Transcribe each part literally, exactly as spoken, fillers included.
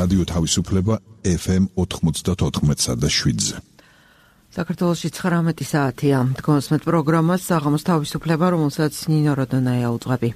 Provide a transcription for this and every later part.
რადიო თავისუფლება ეფ ემ ოთხმოცდაოთხ და შვიდზე. საქართველოში ცხრამეტი საათია. დგომსმეთ პროგრამას საღამოს თავისუფლება, რომელსაც ნინო როდონაია უძღვები.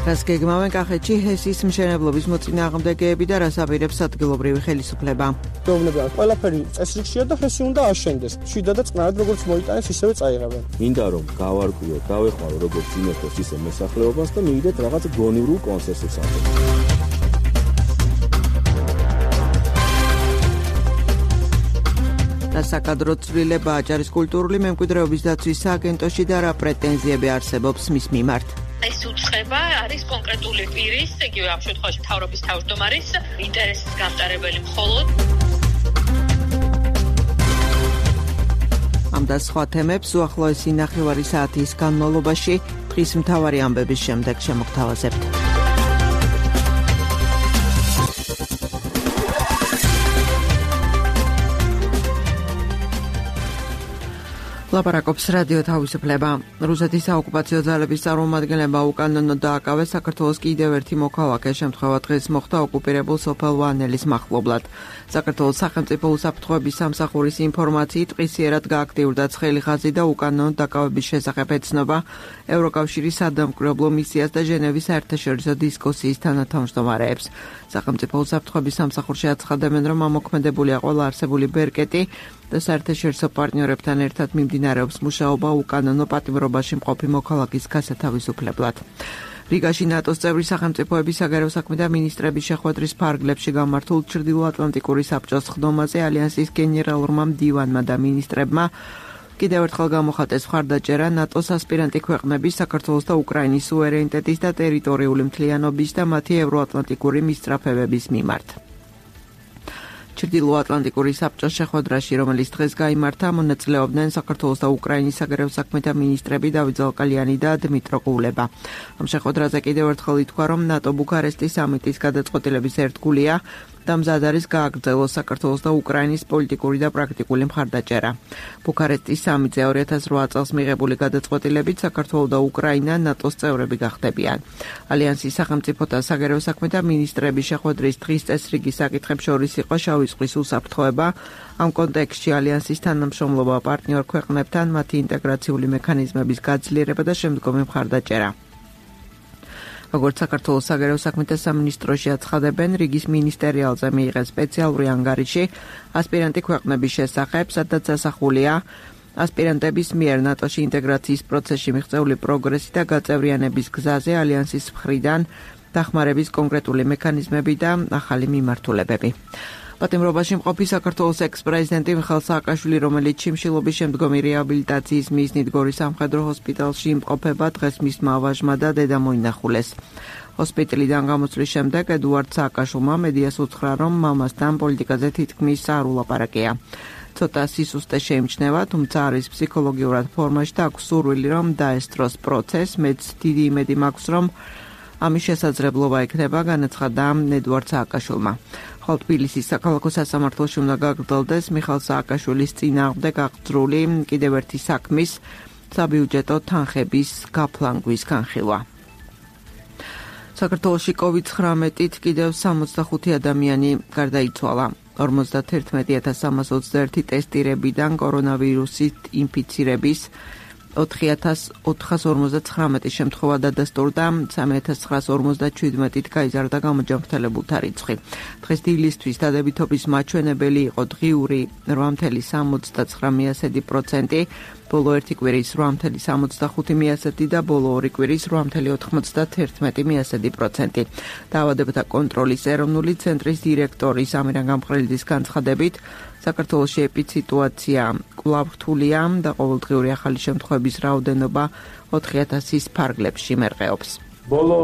რას გეგმავენ კახეთში ჰესის მშენებლობის მოწინააღმდეგეები და რას აპირებს ადგილობრივი ხელისუფლება? მეუბნებიან, ყველაფერი წესრიგშია და ჰესი უნდა აშენდეს. შვიდა და წყნარად როგორც მოიტანეს, ისევე წაიღებენ. მინდა რომ გავარკვიოთ, დავეხმარო როგორც იმერთოს ისე მოსახლეობას და მივიდეთ რაღაც გონივრულ კონსენსუსამდე. და საკადრო ცვლილება აჭარის კულტურული მემკვიდრეობის დაცვის სააგენტოში და რა პრეტენზიები არსებობს მის მიმართ? ეს უწყება არის კონკრეტული პირის, იგივე ამ შემთხვევაში მთავრობის თავმჯდომარის ინტერესის გამტარებელი მხოლოდ. ამ და სხვა თემებს უახლოესი ნახევარი საათის განმავლობაში დღის მთავარი ამბების შემდეგ შემოგთავაზებთ. ლაპარაკობს რადიო თავისუფლება. რუსეთის საოკუპაციო ძალების წარმომადგენლებმა უკანონოდ დააკავეს საქართველოს კიდევ ერთი მოქალაქე, შემთხვევა დღეს მოხდა ოკუპირებულ სოფელ ვანელის მახლობლად. საქართველოს სახელმწიფო უსაფრთხოების სამსახურის ინფორმაციით დღისიერად გააქტიურდა ცხელი ხაზი და უკანონოდ დაკავების შესახებ ეცნობა ევროკავშირის სადამკვირვებლო მისიას და ჟენევის საერთაშორისო დისკუსიის თანათავმჯდომარეებს. სახელმწიფო უსაფრთხოების სამსახურში აცხადებენ, რომ ამოქმედებულია ყველა არსებული ბერკეტი და საერთაშორისო პარტნიორებთან ერთად მიმდინარეობს მუშაობა უკანონო პატიმრობაში მყოფი მოქალაქის გასათავისუფლებლად. რიგაში ნატოს წევრი სახელმწიფოების საგარეო საქმეთა მინისტრების შეხვედრის ფარგლებში გამართულ ჩრდილოატლანტიკური საბჭოს ხდომაზე ალიანსის გენერალურმა მდივანმა და მინისტრებმა კიდევ ერთხელ გამოხატეს მხარდაჭერა ნატოს ასპირანტი ქვეყნების საქართველოს და უკრაინის სუვერენიტეტის და ტერიტორიული მთლიანობის და მათი ევროატლანტიკური მისწრაფებების მიმართ. ჩრდილოატლანტიკური საბჭოს შეხვედრაში, რომელიც დღეს გაიმართა, მონაწილეობდნენ საქართველოს და უკრაინის საგარეო საქმეთა მინისტრები დავით ზალკალიანი და დმიტრო კულება. ამ შეხვედრაზე კიდევ ერთხელ ითქვა, რომ ნატო ბუქარესტის სამიტის გადაწყვეტილების ერთგულია და მზად არის გააგრძელოს საქართველოს და უკრაინის პოლიტიკური და პრაქტიკული მხარდაჭერა. ბუქარესტის სამიტზე ორი ათას რვა წელს მიღებული გადაწყვეტილებით საქართველო და უკრაინა ნატოს წევრები გახდებიან. ალიანსის სახელმწიფოთა საგარეო საქმეთა მინისტრების შეხვედრის დღის წესრიგის საკითხებს შორის იყო შავი ზღვის უსაფრთხოება, ამ კონტექსტში ალიანსის თანამშრომლობა პარტნიორ ქვეყნებთან, მათი ინტეგრაციული მექანიზმების გაძლიერება და შემდგომი მხარდაჭერა. როგორც საქართველოს საგარეო საქმეთა სამინისტროში აცხადებენ, რიგის მინისტერიალზე მიიღეს სპეციალური ანგარიში ასპირანტი ქვეყნების შესახებ, სადაც ასახულია ასპირანტების მიერ ნატოში ინტეგრაციის პროცესში მიღწეული პროგრესი და გაწევრიანების გზაზე ალიანსის მხრიდან დახმარების კონკრეტული მექანიზმები და ახალი მიმართულებები. პატიმრობაში მყოფი საქართველოს ექს-პრეზიდენტი მიხეილ სააკაშვილი, რომელიც შიმშილობის შემდგომი რეაბილიტაციის მიზნით გორის სამხედრო ჰოსპიტალში იმყოფება, დღეს მისმა ვაჟმა და დედა მოინახულეს. ჰოსპიტალიდან გამოსვლის შემდეგ ედუარდ სააკაშვილმა მედიას უთხრა, რომ მამასთან პოლიტიკაზე თითქმის არ ულაპარაკია. ცოტა სისუსტე შეიმჩნევა, თუმცა არის ფსიქოლოგიურად ფორმაში და აქვს სურვილი, რომ დაესწროს პროცესს. მეც დიდი იმედი მაქვს, რომ ამის შესაძლებლობა ექნება, განაცხადა ედუარდ სააკაშვილმა. ხოლო თბილისის საქალაქო სასამართლოში უნდა გაგრძელდეს მიხეილ სააკაშვილის წინააღმდეგ აღძრული კიდევ ერთი საქმის საბიუჯეტო თანხების გაფლანგვის განხილვა. საქართველოში კოვიდ ცხრამეტით კიდევ სამოცდახუთი ადამიანი გარდაიცვალა. ორმოცდაათერთმეტი ათას სამას ოცდაერთი ტესტირებიდან კორონავირუსით ინფიცირების ოთხი ათას ოთხას ორმოცდაცხრამეტი შემთხვევა დადასტურდა, სამი ათას ცხრაას ორმოცდაჩვიდმეტით გაიზარდა გამოჯანმრთელებულთა რიცხვი. დღეს დილისთვის დადებითობის მაჩვენებელი იყო დღიური რვა მცდე სამოცდაცხრა პროცენტი, ბოლო ერთი კვირის რვა მცდე სამოცდახუთი პროცენტი და ბოლო ორი კვირის რვა მცდე ოთხმოცდაათერთმეტი პროცენტი. დაავადებათა კონტროლის ეროვნული ცენტრის დირექტორის ამირან გამყრელიძის განცხადებით, საქართველოში ეპიდსიტუაცია კვლავ რთულია და ყოველდღიური ახალი შემთხვევების რაოდენობა ოთხი ათასის ფარგლებში მერყეობს. ბოლო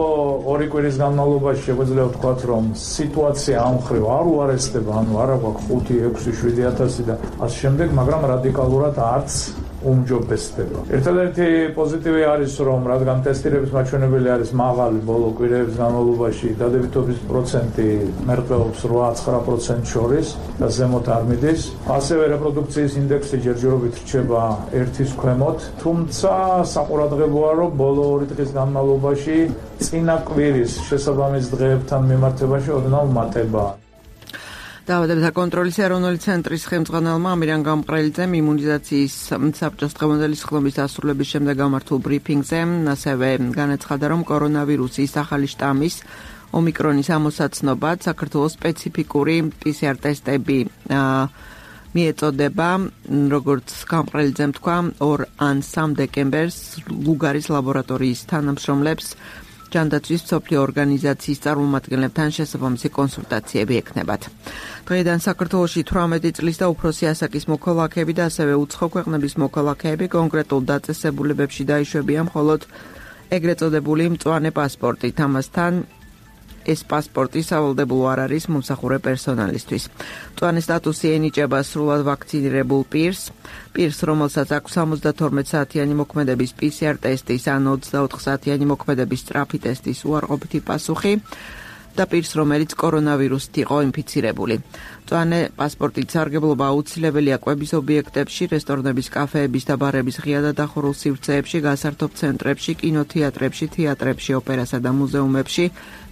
ორი კვირის განმავლობაში შეგვიძლია ვთქვათ, რომ სიტუაცია ამ მხრივ არ უარესდება, ანუ არა გვაქვს ხუთი, ექვსი, შვიდი ათასი და ასე შემდეგ, მაგრამ რადიკალურად არც უმჯობესდება. ერთადერთი პოზიტივი არის, რომ რადგან ტესტირების მაჩვენებელი არის მაღალი ბოლო კვირების განმავლობაში, დადებითობის პროცენტი მერყეობს რვა ცხრა პროცენტს შორის და ზემოთ არ მიდის. ასევე რეპროდუქციის ინდექსი ჯერჯერობით რჩება ერთის ქვემოთ, თუმცა საყურადღებოა, რომ ბოლო ორი დღის განმავლობაში წინა კვირის შესაბამის დღეებთან მიმართებაში ოდნავ მატებაა. დაავადებათა კონტროლის ეროვნული ცენტრის ხელმძღვანელმა ამირან გამყრელიძემ იმუნიზაციის საბჭოს დღევანდელი სხდომის დასრულების შემდეგ გამართულ ბრიფინგზე ასევე განაცხადა, რომ კორონავირუსის ახალი შტამის ომიკრონის ამოსაცნობად საქართველოს სპეციფიკური პი სი არ ტესტები მიეწოდება, როგორც გამყრელიძემ თქვა, ორ ან სამ დეკემბერს ლუგარის ლაბორატორიის თანამშრომლებს ჯანდაცვის მსოფლიო ორგანიზაციის წარმომადგენლებთან შესაბამისი კონსულტაციები ექნებათ. დღეიდან საქართველოში თვრამეტი წლის და უფროსი ასაკის მოქალაქეები და ასევე უცხო ქვეყნების მოქალაქეები კონკრეტულ დაწესებულებებში დაიშვებიან მხოლოდ ეგრეთ წოდებული მწვანე პასპორტით. ამასთან ეს პასპორტი სავალდებულო არ არის მომსახურე პერსონალისთვის. მწვანე სტატუსი ენიჭება სრულად ვაქცინირებულ პირს, პირს, რომელსაც აქვს სამოცდათორმეტ საათიანი მოქმედების პი სი არ ტესტის ან ოცდაოთხ საათიანი მოქმედების სწრაფი ტესტის უარყოფითი პასუხი და პირს, რომელიც კორონავირუსით იყო ინფიცირებული. მწვანე პასპორტით სარგებლობა აუცილებელია კვების ობიექტებში, რესტორნების, კაფეების და ბარების ღია და დახურულ სივრცეებში, გასართობ ცენტრებში, კინოთეატრებში, თეატრებში, ოპერასა და მუზეუმებში,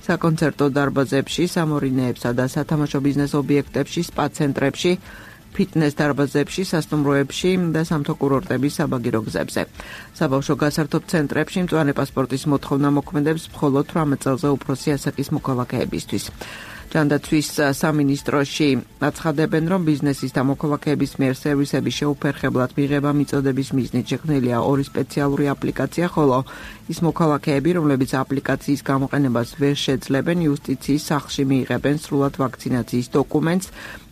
საკონცერტო დარბაზებში, სამორინეებსა და სათამაშო ბიზნეს ობიექტებში, სპა ცენტრებში, ფიტნეს დარბაზებში, სასტუმროებში და სამთო კურორტების საბაგირო გზებზე. საბავშვო გასართობ ცენტრებში მწვანე პასპორტის მოთხოვნა მოქმედებს მხოლოდ თვრამეტ წელზე უფროსი ასაკის მოქალაქეებისთვის. ჯანდაცვის სამინისტროში აცხადებენ, რომ ბიზნესის და მოქალაქეების მიერ სერვისების შეუფერხებლად მიღება მიწოდების მიზნით შექმნილია ორი სპეციალური აპლიკაცია, ხოლო ის მოქალაქეები, რომლებიც აპლიკაციის გამოყენებას ვერ შეძლებენ, იუსტიციის სახლში მიიღებენ სრულად ვაქცინაციის დოკუმენტს.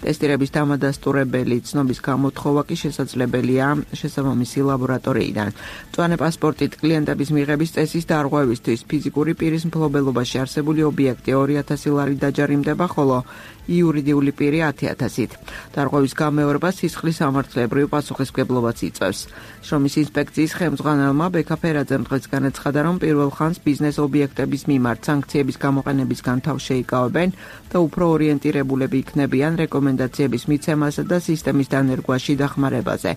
ტესტირების დამადასტურებელი ცნობის გამოთხოვა კი შესაძლებელია შესაბამისი ლაბორატორიიდან. მწვანე პასპორტით კლიენტების მიღების წესის დარღვევისთვის ფიზიკური პირის მფლობელობაში არსებული ობიექტი ორი ათასი ლარი დაჯარიმდება, ხოლო იურიდიული პირი ათი ათასით. დარღვევის გამეორება სისხლის სამართლებრივ პასუხისმგებლობას იწვევს. შრომის ინსპექციის ხელმძღვანელმა ბექა ფერაძემ დღეს განაცხადა, რომ პირველ ხანს ბიზნეს ობიექტების მიმართ სანქციების გამოყენებისგან თავს შეიკავებენ და უფრო ორიენტირებულები იქნებიან რეკომენდაციების მიცემასა და სისტემის დანერგვაში დახმარებაზე.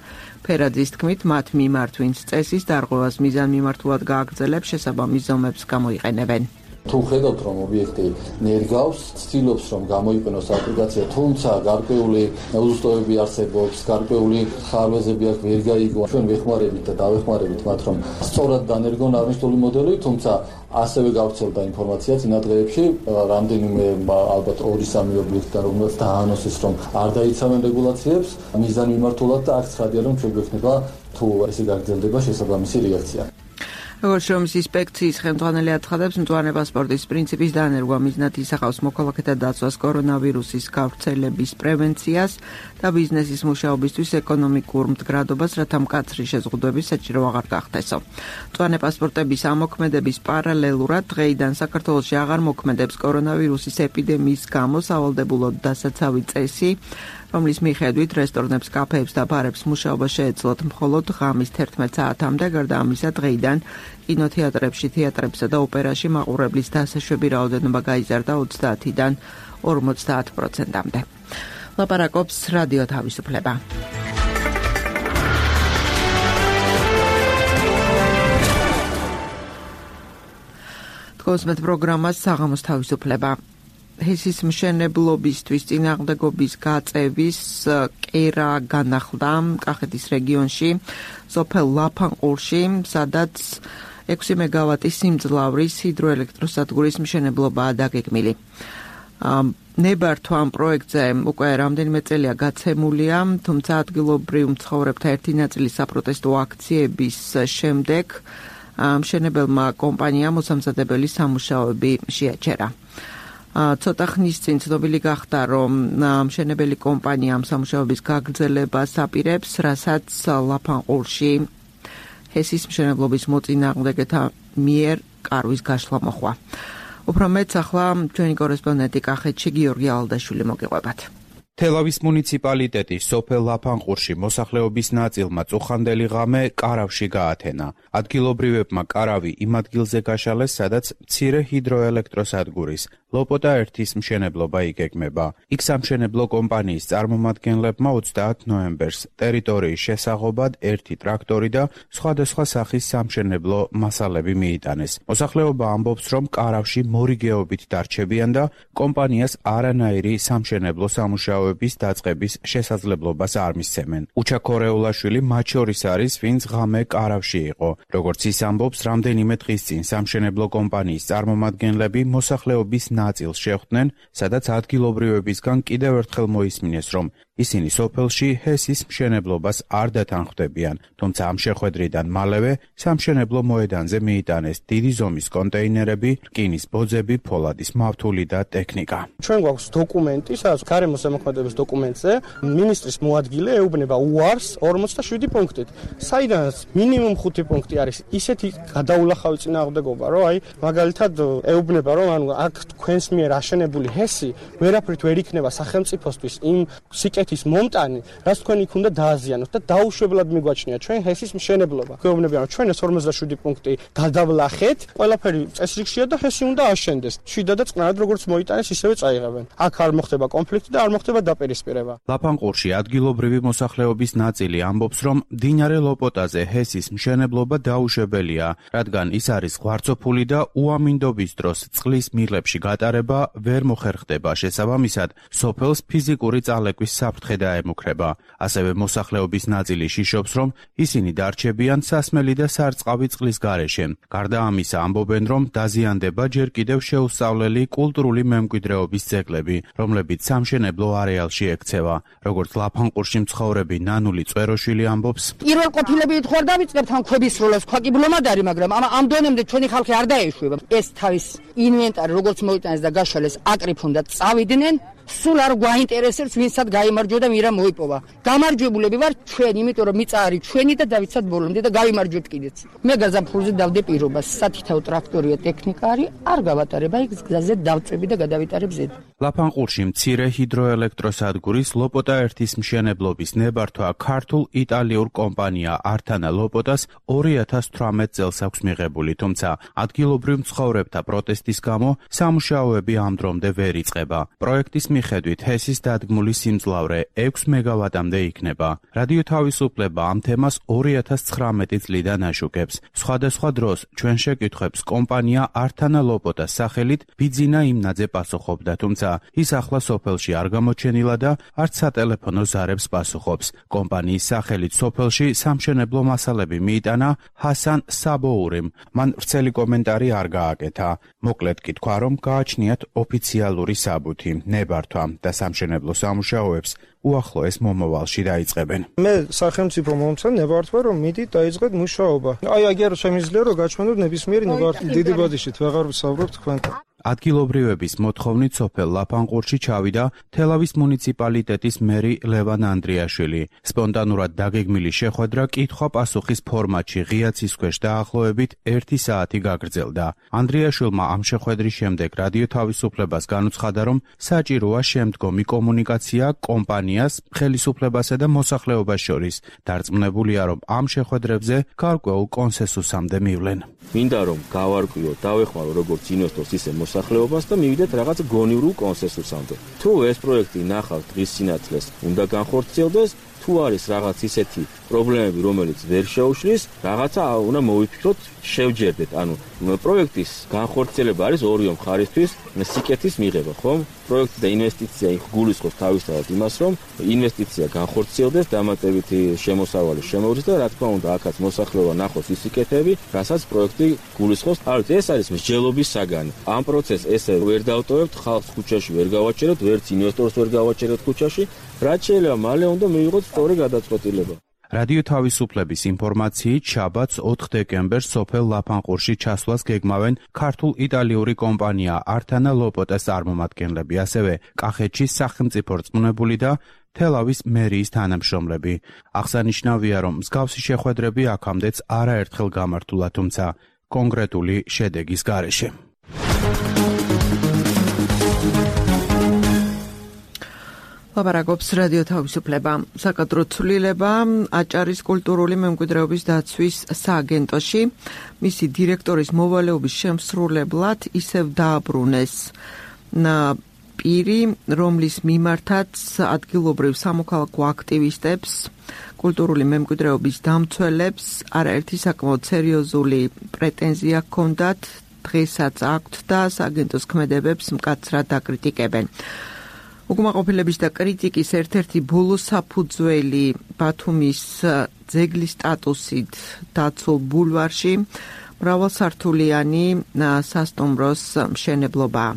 ფერაძის თქმით, მათ მიმართ, ვინც წესის დარღვევას მიზანმიმართულად გააგრძელებს, შესაბამის ზომებს გამოიყენებენ. თუ ხედავთ, რომ ობიექტი ნერგავს, ცდილობს, რომ გამოიყენოს აპლიკაცია, თუმცა გარკვეული უზუსტოებები არსებობს, გარკვეული ხარვეზები აქ ვერ გაიგო. ჩვენ ვეხმარებით და დავეხმარებით მათ, რომ სწორად დანერგონ აღნიშნული მოდელი, თუმცა ასევე გავრცელდა ინფორმაცია წინა დღეებში, რამდენიმე ალბათ ორი სამი ობიექტიდან, რომელსაც დაანონსეს, რომ არ დაიცავენ რეგულაციებს, მიზანმიმართულად და აქ ცხადია, რომ ჩვენ გვექნება თუ ესე გაგრძელდება შესაბამისი რეაქცია. როგორც შრომის ინსპექციის ხელმძღვანელი აცხადებს, მწვანე პასპორტის პრინციპის დანერგვა მიზნად ისახავს მოქალაქეთა დაცვას კორონავირუსის გავრცელების პრევენციას და ბიზნესის მუშაობისთვის ეკონომიკურ მდგრადობას, რათა მკაცრი შეზღუდვები საჭირო აღარ გახდესო. მწვანე პასპორტების ამოქმედების პარალელურად დღეიდან საქართველოში აღარ მოქმედებს კორონავირუსის ეპიდემიის გამო სავალდებულო დასაცავი წესი, რომლის მიხედვით რესტორნებს, კაფეებს და ბარებს მუშაობა შეეძლოთ მხოლოდ ღამის თერთმეტ საათამდე, გარდა ამისა დღეიდან კინოთეატრებში, თეატრებსა და ოპერაში მაყურებლის დასაშვები რაოდენობა გაიზარდა ოცდაათიდან ორმოცდაათ პროცენტამდე. ლაპარაკობს რადიო თავისუფლება. თქოსმეთ პროგრამას საღამოს თავისუფლება. ჰესის მშენებლობისთვის წინააღმდეგობის გაწევის კერა განახლდა კახეთის რეგიონში, სოფელ ლაფანყურში, სადაც ექვსი მეგავატის სიმძლავრის ჰიდროელექტროსადგურის მშენებლობაა დაგეგმილი. ნებართვა ამ პროექტზე უკვე რამდენიმე წელია გაცემულია, თუმცა ადგილობრივ მცხოვრებთა ერთი ნაწილის საპროტესტო აქციების შემდეგ მშენებელმა კომპანიამ მოსამზადებელი სამუშაოები შეაჩერა. ცოტა ხნის წინ ცნობილი გახდა, რომ მშენებელი კომპანია ამ სამუშაოების გაგრძელებას აპირებს, რასაც ლაფანყურში ჰესის მშენებლობის მოწინააღმდეგეთა მიერ კარვის გაშლა მოხდა. უფრო მეტს ახლა ჩვენი კორესპონდენტი კახეთში გიორგი ალდაშვილი მოგიყვებათ. თელავის მუნიციპალიტეტის სოფელ ლაფანყურში მოსახლეობის ნაწილმა წუხანდელი ღამე კარავში გაათენა. ადგილობრივებმა კარავი იმ ადგილზე გაშალეს, სადაც მცირე ჰიდროელექტროსადგურის ლოპოტა ერთის მშენებლობა იგეგმება. იქ სამშენებლო კომპანიის წარმომადგენლებმა ოცდაათ ნოემბერს ტერიტორიის შესაღობად ერთი ტრაქტორი და სხვადასხვა სახის სამშენებლო მასალები მიიტანეს. მოსახლეობა ამბობს, რომ კარავში მორიგეობით დარჩებიან და კომპანიას არანაირი სამშენებლო სამუშაოების დაწყების შესაძლებლობას არ მისცემენ. უჩა ქორეულაშვილი მათ შორის არის, ვინც ღამე კარავში იყო. როგორც ის ამბობს, რამდენიმე დღის წინ სამშენებლო კომპანიის წარმომადგენლები მოსახლეობის ნაწილს შეხვდნენ, სადაც ადგილობრივებისგან კიდევ ერთხელ მოისმინეს, რომ ისინი სოფელში ჰესის მშენებლობას არ დათანხმდებიან, თუმცა ამ შეხვედრიდან მალევე სამშენებლო მოედანზე მიიტანეს დიდი ზომის კონტეინერები, რკინის ბოძები, ფოლადის მავთული და ტექნიკა. ჩვენ გვაქვს დოკუმენტი, სადაც გარემოს ზემოქმედების დოკუმენტზე მინისტრის მოადგილე ეუბნება უარს ორმოცდაშვიდი პუნქტით, საიდანაც მინიმუმ ხუთი პუნქტი არის ისეთი გადაულახავი წინააღმდეგობა, რომ აი მაგალითად ეუბნება, რომ ანუ აქ თქვენს მიერ აშენებული ჰესი ვერაფრით ვერ იქნება სახელმწიფოსთვის იმ სიკეთის მომტანი, რაც თქვენ იქ უნდა დააზიანოთ და დაუშვებლად მიგვაჩნია ჩვენ ჰესის მშენებლობა. გვეუბნებიან, რომ ჩვენ ეს ორმოცდაშვიდი პუნქტი გადავლახეთ, ყველაფერი წესრიგშია და ჰესი უნდა აშენდეს. შვიდა და წყნარად როგორც მოიტანეს, ისევე წაიღებენ. აქ არ მოხდება კონფლიქტი და არ მოხდება დაპირისპირება. ლაფანყურში ადგილობრივი მოსახლეობის ნაწილი ამბობს, რომ მდინარე ლოპოტაზე ჰესის მშენებლობა დაუშვებელია, რადგან ის არის ღვარცოფული და უამინდობის დროს წყლის მილებში გატარება ვერ მოხერხდება. შესაბამისად, სოფელს ფიზიკური წალეკვის საფრთხე დაემუქრება. ასევე მოსახლეობის ნაწილი შიშობს, რომ ისინი დარჩებიან სასმელი და სარწყავი წყლის გარეშე. გარდა ამისა, ამბობენ, რომ დაზიანდება ჯერ კიდევ შეუსწავლელი კულტურული მემკვიდრეობის ძეგლები, რომლებიც სამშენებლო არეალში ექცევა. როგორც ლაფანყურში მცხოვრები ნანული წეროშვილი ამბობს, პირველ ყოფილებით ხوار დავიწყებთ ამ ქვების სროლას, ხვა კი ბლომად არის, მაგრამ ამ დონემდე ჩვენი ხალხი არ დაეშვება. ეს თავის ინვენტარი როგორც მოიტანეს და გაშალეს, აკრიფ უნდა წავიდნენ. სულ არ გვაინტერესებს ვინცად გაიმარჯვა და ვირა მოიპოვა. გამარჯვებულები ვარ ჩვენ, იმიტომ რომ მიწა არის ჩვენი და დავიცად ბოლომდე და გავიმარჯვებთ კიდეც. მე გაზაფხულზე დავდე პირობას, სათითაო ტრაქტორია, ტექნიკა არის, არ გავატარება იქ გზაზე დავწვევი და გადავიტარებ ზედ. ლაფანყურში მცირე ჰიდროელექტროსადგურის ლოპოტა ერთის მშენებლობის ნებართვა ქართულ იტალიურ კომპანია ართანა ლოპოტას ორი ათას თვრამეტ წელს აქვს მიღებული, თუმცა ადგილობრივ მცხოვრებთა პროტესტის გამო სამუშაოები ამ დრომდე ვერ იწყება. პროექტის მიხედვით ჰესის დადგმული სიმძლავრე ექვს მეგავატამდე იქნება. რადიო თავისუფლება ამ თემას ორი ათას ცხრამეტი წლიდან აშუქებს. სხვადასხვა დროს ჩვენ შეკითხვებს კომპანია ართანა ლოპოტას სახელით ბიძინა იმნაძე პასუხობდა, თუმცა ის ახლა სოფელში არ გამოჩენილა და არც სატელეფონო ზარებს პასუხობს. კომპანიის სახელით სოფელში სამშენებლო მასალები მიიტანა ჰასან საბოურიმ. მან ვრცელი კომენტარი არ გააკეთა. მოკლედ კი თქვა, რომ გააჩნიათ ოფიციალური საბუთი, ნებართვა და სამშენებლო სამუშაოებს უახლოეს მომავალში დაიწყებენ. მე სახელმწიფო მომცემ ნებართვა, რომ მიდით დაიწყეთ მუშაობა. აი აგერ შემიძლია რომ გაჩვენოთ ნებისმიერი ნებართვა. დიდი ბოდიშით ვეღარ ვსაუბრობ თქვენთან. ადგილობრივების მოთხოვნით სოფელ ლაფანყურში ჩავიდა თელავის მუნიციპალიტეტის მერი ლევან ანდრიაშვილი. სპონტანურად დაგეგმილი შეხვედრა კითხვა-პასუხის ფორმატში ღიაცის ქვეშ დაახლოებით ერთი საათი გაგრძელდა. ანდრიაშვილმა ამ შეხვედრის შემდეგ რადიო თავისუფლებას განუცხადა, რომ საჭიროა შემდგომი კომუნიკაცია კომპანიას, ხელისუფლებასა და მოსახლეობას შორის. დარწმუნებულია, რომ ამ შეხვედრებზე გარკვეულ კონსენსუსამდე მივლენ. მინდა რომ გავარკვიოთ, დავეხმარო როგორც ინვესტორს, ისე მოსახლეობას და მივიდეთ რაღაც გონივრულ კონსენსუსამდე. თუ ეს პროექტი ნახავთ დღის სინათლეს, უნდა განხორციელდეს, თუ არის რაღაც ისეთი პრობლემები, რომელიც ვერ შეუშლის, რაღაცა უნდა მოვიფიქროთ, შევჯერდეთ. ანუ პროექტის განხორციელება არის ორივე მხარისთვის სიკეთის მიღება, ხომ? პროექტი და ინვესტიცია გულისხმობს თავისთავად იმას, რომ ინვესტიცია განხორციელდეს, დამატებითი შემოსავალი შემოგვიდეს და რა თქმა უნდა, აქაც მოსახლეობა ნახოს ის სიკეთეები, რასაც პროექტი გულისხმობს. ალბათ ეს არის მსჯელობის საგანი. ამ პროცესს ესე ვერ დავტოვებთ, ხალხს ქუჩაში ვერ გავაჩერებთ, ვერც ინვესტორს ვერ გავაჩერებთ ქუჩაში, რაც შეიძლება მალე უნდა მივიღოთ სწორი გადაწყვეტილება. რადიო თავისუფლების ინფორმაციით, შაბათს ოთხ დეკემბერს სოფელ ლაფანყურში ჩასვლას გეგმავენ ქართულ-იტალიური კომპანია ართანა ლოპოტას წარმომადგენლები, ასევე კახეთში სახელმწიფო რწმუნებული და თელავის მერიის თანამშრომლები. აღსანიშნავია, რომ მსგავსი შეხვედრები აქამდეც არაერთხელ გამართულა, თუმცა კონკრეტული შედეგის გარეშე. ლაპარაკობს რადიო თავისუფლება. საკადრო ცვლილება აჭარის კულტურული მემკვიდრეობის დაცვის სააგენტოში მისი დირექტორის მოვალეობის შემსრულებლად ისევ დააბრუნეს პირი, რომლის მიმართაც ადგილობრივ სამოქალაქო აქტივისტებს, კულტურული მემკვიდრეობის დამცველებს არაერთი საკმაოდ სერიოზული პრეტენზია ჰქონდათ, დღესაც აქვთ და სააგენტოს ქმედებებს მკაცრად დაკრიტიკებენ. უკმაყოფილების და კრიტიკის ერთ-ერთი ბოლო საფუძველი ბათუმის ძეგლის სტატუსით დაცულ ბულვარში მრავალსართულიანი სასტუმროს მშენებლობაა.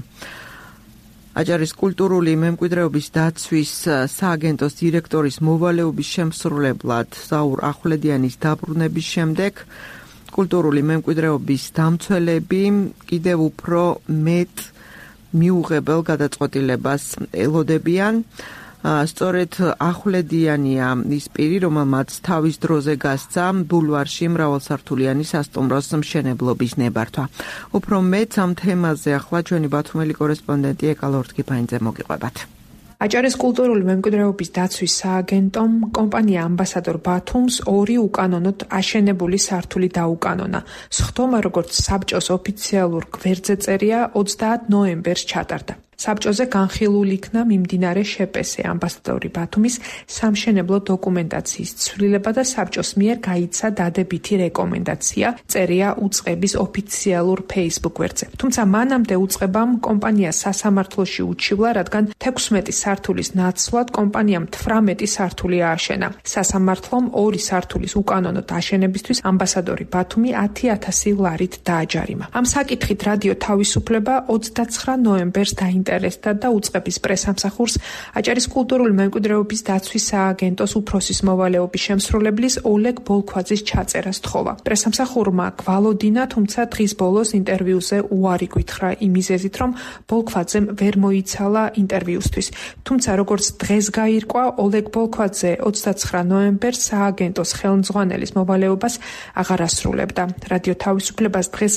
აჭარის კულტურული მემკვიდრეობის დაცვის სააგენტოს დირექტორის მოვალეობის შემსრულებლად ზაურ ახვლედიანის დაბრუნების შემდეგ კულტურული მემკვიდრეობის დამცველები კიდევ უფრო მეტ მიუღებელ გადაწყვეტილებას ელოდებიან. სწორედ ახვლედიანია ის პირი, რომელმაც თავის დროზე გასცა ბულვარში მრავალსართულიანი სასტუმროს მშენებლობის ნებართვა. უფრო მეც ამ თემაზე ახლა ჩვენი ბათუმელი კორესპონდენტი ეკალორთგიფაინძე მოგიყვებათ. აჭარის კულტურული მემკვიდრეობის დაცვის სააგენტომ კომპანია ამბასადორ ბათუმს ორი უკანონოდ აშენებული სართული დაუკანონა. სხდომა როგორც საბჭოს ოფიციალურ გვერდზე წერია ოცდაათ ნოემბერს ჩატარდა. საბჭოზე განხილულ იქნა მიმდინარე შეპესე ამბასადორი ბათუმის სამშენებლო დოკუმენტაციის ცვლილება და საბჭოს მიერ გაიცა დადებითი რეკომენდაცია, წერია უწყების ოფიციალურ Facebook გვერდზე. თუმცა მანამდე უწყებამ კომპანია სასამართლოში უჩივლა, რადგან თექვსმეტი სართულის ნაცვლად კომპანიამ თვრამეტი სართული ააშენა. სასამართლომ ორი სართულის უკანონოდ აშენებისთვის ამბასადორი ბათუმი ათი ათასი ლარით დააჯარიმა. ამ საკითხით რადიო თავისუფლება ოცდაცხრა ნოემბერს დაინტერესდა და უწყების პრესამსახურს აჭარის კულტურული მემკვიდრეობის დაცვის სააგენტოს უფროსის მოვალეობის შემსრულებლის ოლეგ ბოლქვაძის ჩაწერას თხოვა. პრესამსახურმა გვალოდინა, თუმცა დღის ბოლოს ინტერვიუზე უარი გვითხრა იმ მიზეზით, რომ ბოლქვაძემ ვერ მოიცალა ინტერვიუსთვის. თუმცა როგორც დღეს გაირკვა, ოლეგ ბოლქვაძე ოცდაცხრა ნოემბერს სააგენტოს ხელმძღვანელის მოვალეობას აღარ ასრულებდა. რადიო თავისუფლებას დღეს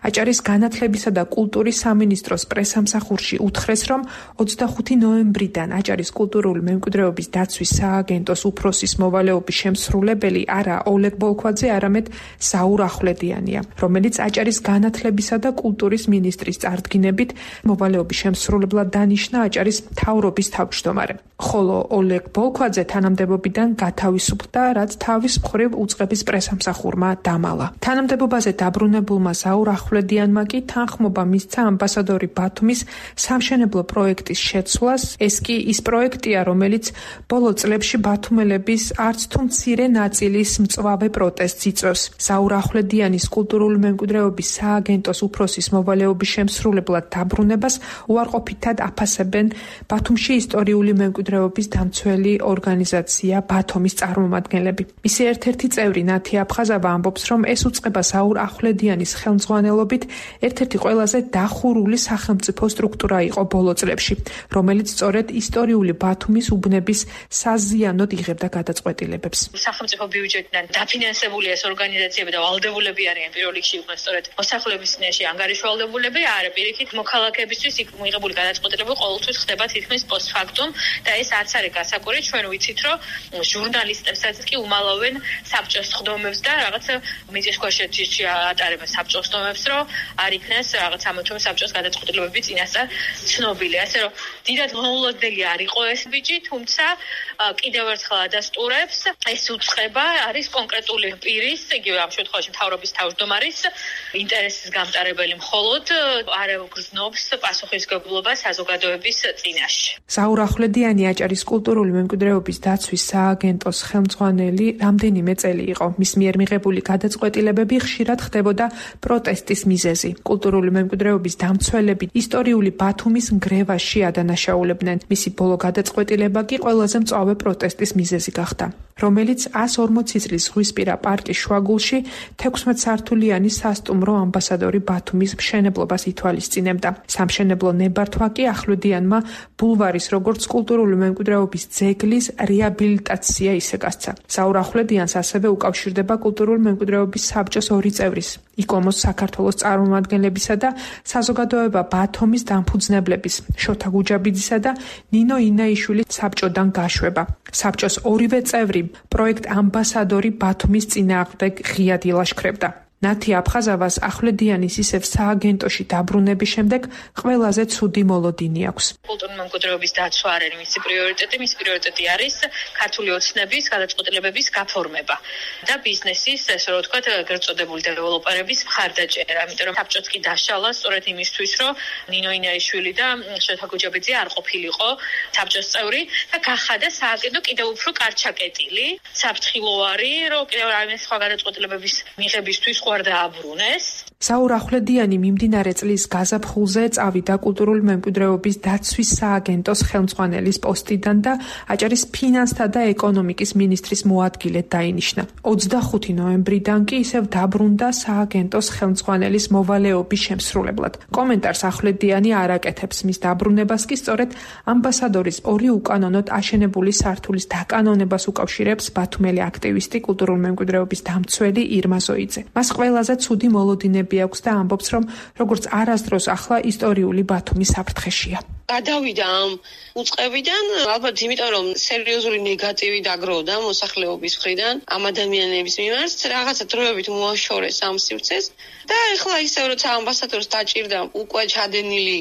აჭარის განათლებისა და კულტურის სამინისტროს პრესამსახურში უთხრეს, რომ ოცდახუთი ნოემბრიდან აჭარის კულტურული მემკვიდრეობის დაცვის სააგენტოს უფროსის მოვალეობის შემსრულებელი არა ოლეგ ბოლქვაძე, არამედ ზაურ ახვლედიანია, რომელიც აჭარის განათლებისა და კულტურის მინისტრის წარდგინებით მოვალეობის შემსრულებლად დანიშნა აჭარის მთავრობის თავმჯდომარე. ხოლო ოლეგ ბოლქვაძე თანამდებობიდან გათავისუფლდა, რაც თავის მხრივ უწყების პრესამსახურმა დამალა. თანამდებობაზე დაბრუნებულმა ზაურ ახვლედიანმა კი თანხმობა მისცა ამბასადორი ბათუმის სამშენებლო პროექტის შეცვლას. ეს კი ის პროექტია, რომელიც ბოლო წლებში ბათუმელების არც თუ მცირე ნაწილის მწვავე პროტესტს იწვევს. ზაურ ახვლედიანის კულტურული მემკვიდრეობის სააგენტოს უფროსის მოვალეობის შემსრულებლად დაბრუნებას უარყოფითად აფასებენ ბათუმში ისტორიული მემკვიდრეობის დამცველი ორგანიზაცია ბათუმის წარმომადგენლები. მისი ერთ-ერთი წევრი ნათი აფხაზავა ამბობს, რომ ეს უწყება ზაურ ახვლედიანის ხელმძღვანელობით ერთ-ერთი ყველაზე დახურული სახელმწიფო სტრუქტურა იყო ბოლო წლებში, რომელიც სწორედ ისტორიული ბათუმის უბნების საზიანოდ იღებდა გადაწყვეტილებებს. სახელმწიფო ბიუჯეტიდან დაფინანსებული ეს ორგანიზაციები და ვალდებულები არიან პირველ რიგში იყვნენ სწორედ მოსახლეობის წინაშე ანგარიშვალდებულები, არა პირიქით მოქალაქეებისთვის იქ მიღებული გადაწყვეტილება ყოველთვის ხდება თითქმის პოსტფაქტუმ და ეს არც არის გასაკვირი. ჩვენ ვიცით, რომ ჟურნალისტებსაც კი უმალავენ საბჭოს ხდომებს და რაღაც მიწისქვეშეთში ატარებენ საბჭოს ხდომებს, რომ არ იქნას რაღაც ამათომ საბჭოს გადაწყვეტილებები წინასწარ ცნობილი. ასე რომ დიდად მოულოდნელი არ იყო ეს ბიჭი, თუმცა კიდევ ერთხელ ადასტურებს, ეს უწყება არის კონკრეტული პირის, იგივე ამ შემთხვევაში მთავრობის თავმჯდომარის ინტერესის გამტარებელი, მხოლოდ არ გრძნობს პასუხისმგებლობას საზოგადოების წინაშე. ზაურ ახვლედიანი აჭარის კულტურული მემკვიდრეობის დაცვის სააგენტოს ხელმძღვანელი რამდენიმე წელი იყო. მის მიერ მიღებული გადაწყვეტილებები ხშირად ხდებოდა პროტესტის მიზეზი. კულტურული მემკვიდრეობის დამცველები ისტორიული ბათუმის ნგრევაში ადანაშაულებდნენ. მისი ბოლო გადაწყვეტილება კი ყველაზე მწვავე პროტესტის მიზეზი გახდა, რომელიც ას ორმოცი წლის ზღვისპირა პარკის შუაგულში თექვსმეტსართულიანი სასტუმრო ამბასადორი ბათუმის მშენებლობას ითვალისწინებდა. სამშენებლო ნებართვა კი ახვლედიანმა ბულვარის როგორც კულტურული მემკვიდრეობის ძეგლის რეაბილიტაცია ისე გასცა. ზაურ ახვლედიანს ასევე უკავშირდება კულტურული მემკვიდრეობის საბჭოს ორი წევრის, იკომოს საქართველოს წარმომადგენლებისა და საზოგადოება ბათუმის დამფუძნებლების შოთა გუჯაბიძისა და ნინო ინაიშვილის საბჭოდან გაშვება. საბჭოს ორივე წევრი პროექტ ამბასადორი ბათუმის წინააღმდეგ ღიად ილაშქრებდა. ნათი აფხაზავას ახვლედიანის ისევ სააგენტოში დაბრუნების შემდეგ ყველაზე ცუდი მოლოდინი აქვს. კულტურული მემკვიდრეობის დაცვა არ არის მისი პრიორიტეტი, მისი პრიორიტეტი არის ქართული ოცნების გადაწყვეტილებების გაფორმება და ბიზნესის, ესე რომ ვთქვათ, გერწოდებული დეველოპერების მხარდაჭერა, იმიტომ რომ საბჭოც კი დაშალა სწორედ იმისთვის, რომ ნინო ინაიშვილი და შოთა გუჯაბიძე არ ყოფილიყო საბჭოს წევრი და გახადა სააგენტო კიდევ უფრო კარჩაკეტილი, საფრთხილოვანი, რომ კიდევ რაიმე სხვა გადაწყვეტილებების მიღებისთვის დააბრუნეს. საურ ახვლედიანი მიმდინარე წლის გაზაფხულზე წავიდა კულტურული მემკვიდრეობის დაცვის სააგენტოს ხელმძღვანელის პოსტიდან და აჭარის ფინანსთა და ეკონომიკის მინისტრის მოადგილედ დაინიშნა. ოცდახუთი ნოემბრიდან კი ისევ დაბრუნდა სააგენტოს ხელმძღვანელის მოვალეობის შემსრულებლად. კომენტარს ახვლედიანი არ აკეთებს, მის დაბრუნებას კი სწორედ ამბასადორის ორი უკანონოდ აშენებული სართულის დაკანონებას უკავშირებს ბათუმელი აქტივისტი კულტურული მემკვიდრეობის დამცველი ირმა ზოიძე. მას ყველაზე ცუდი მოლოდინები აქვს და ამბობს, რომ როგორც არასდროს ახლა ისტორიული ბათუმის საფრთხეშია. გადავიდა ამ უწყებიდან, ალბათ იმიტომ, რომ სერიოზული ნეგატივი დაგროვდა მოსახლეობის მხრიდან ამ ადამიანების მიმართ, რაღაცა დროებით მოაშორეს ამ სივრცეს და ეხლა ისევ როცა ამბასადორს დაჭირდა უკვე ჩადენილი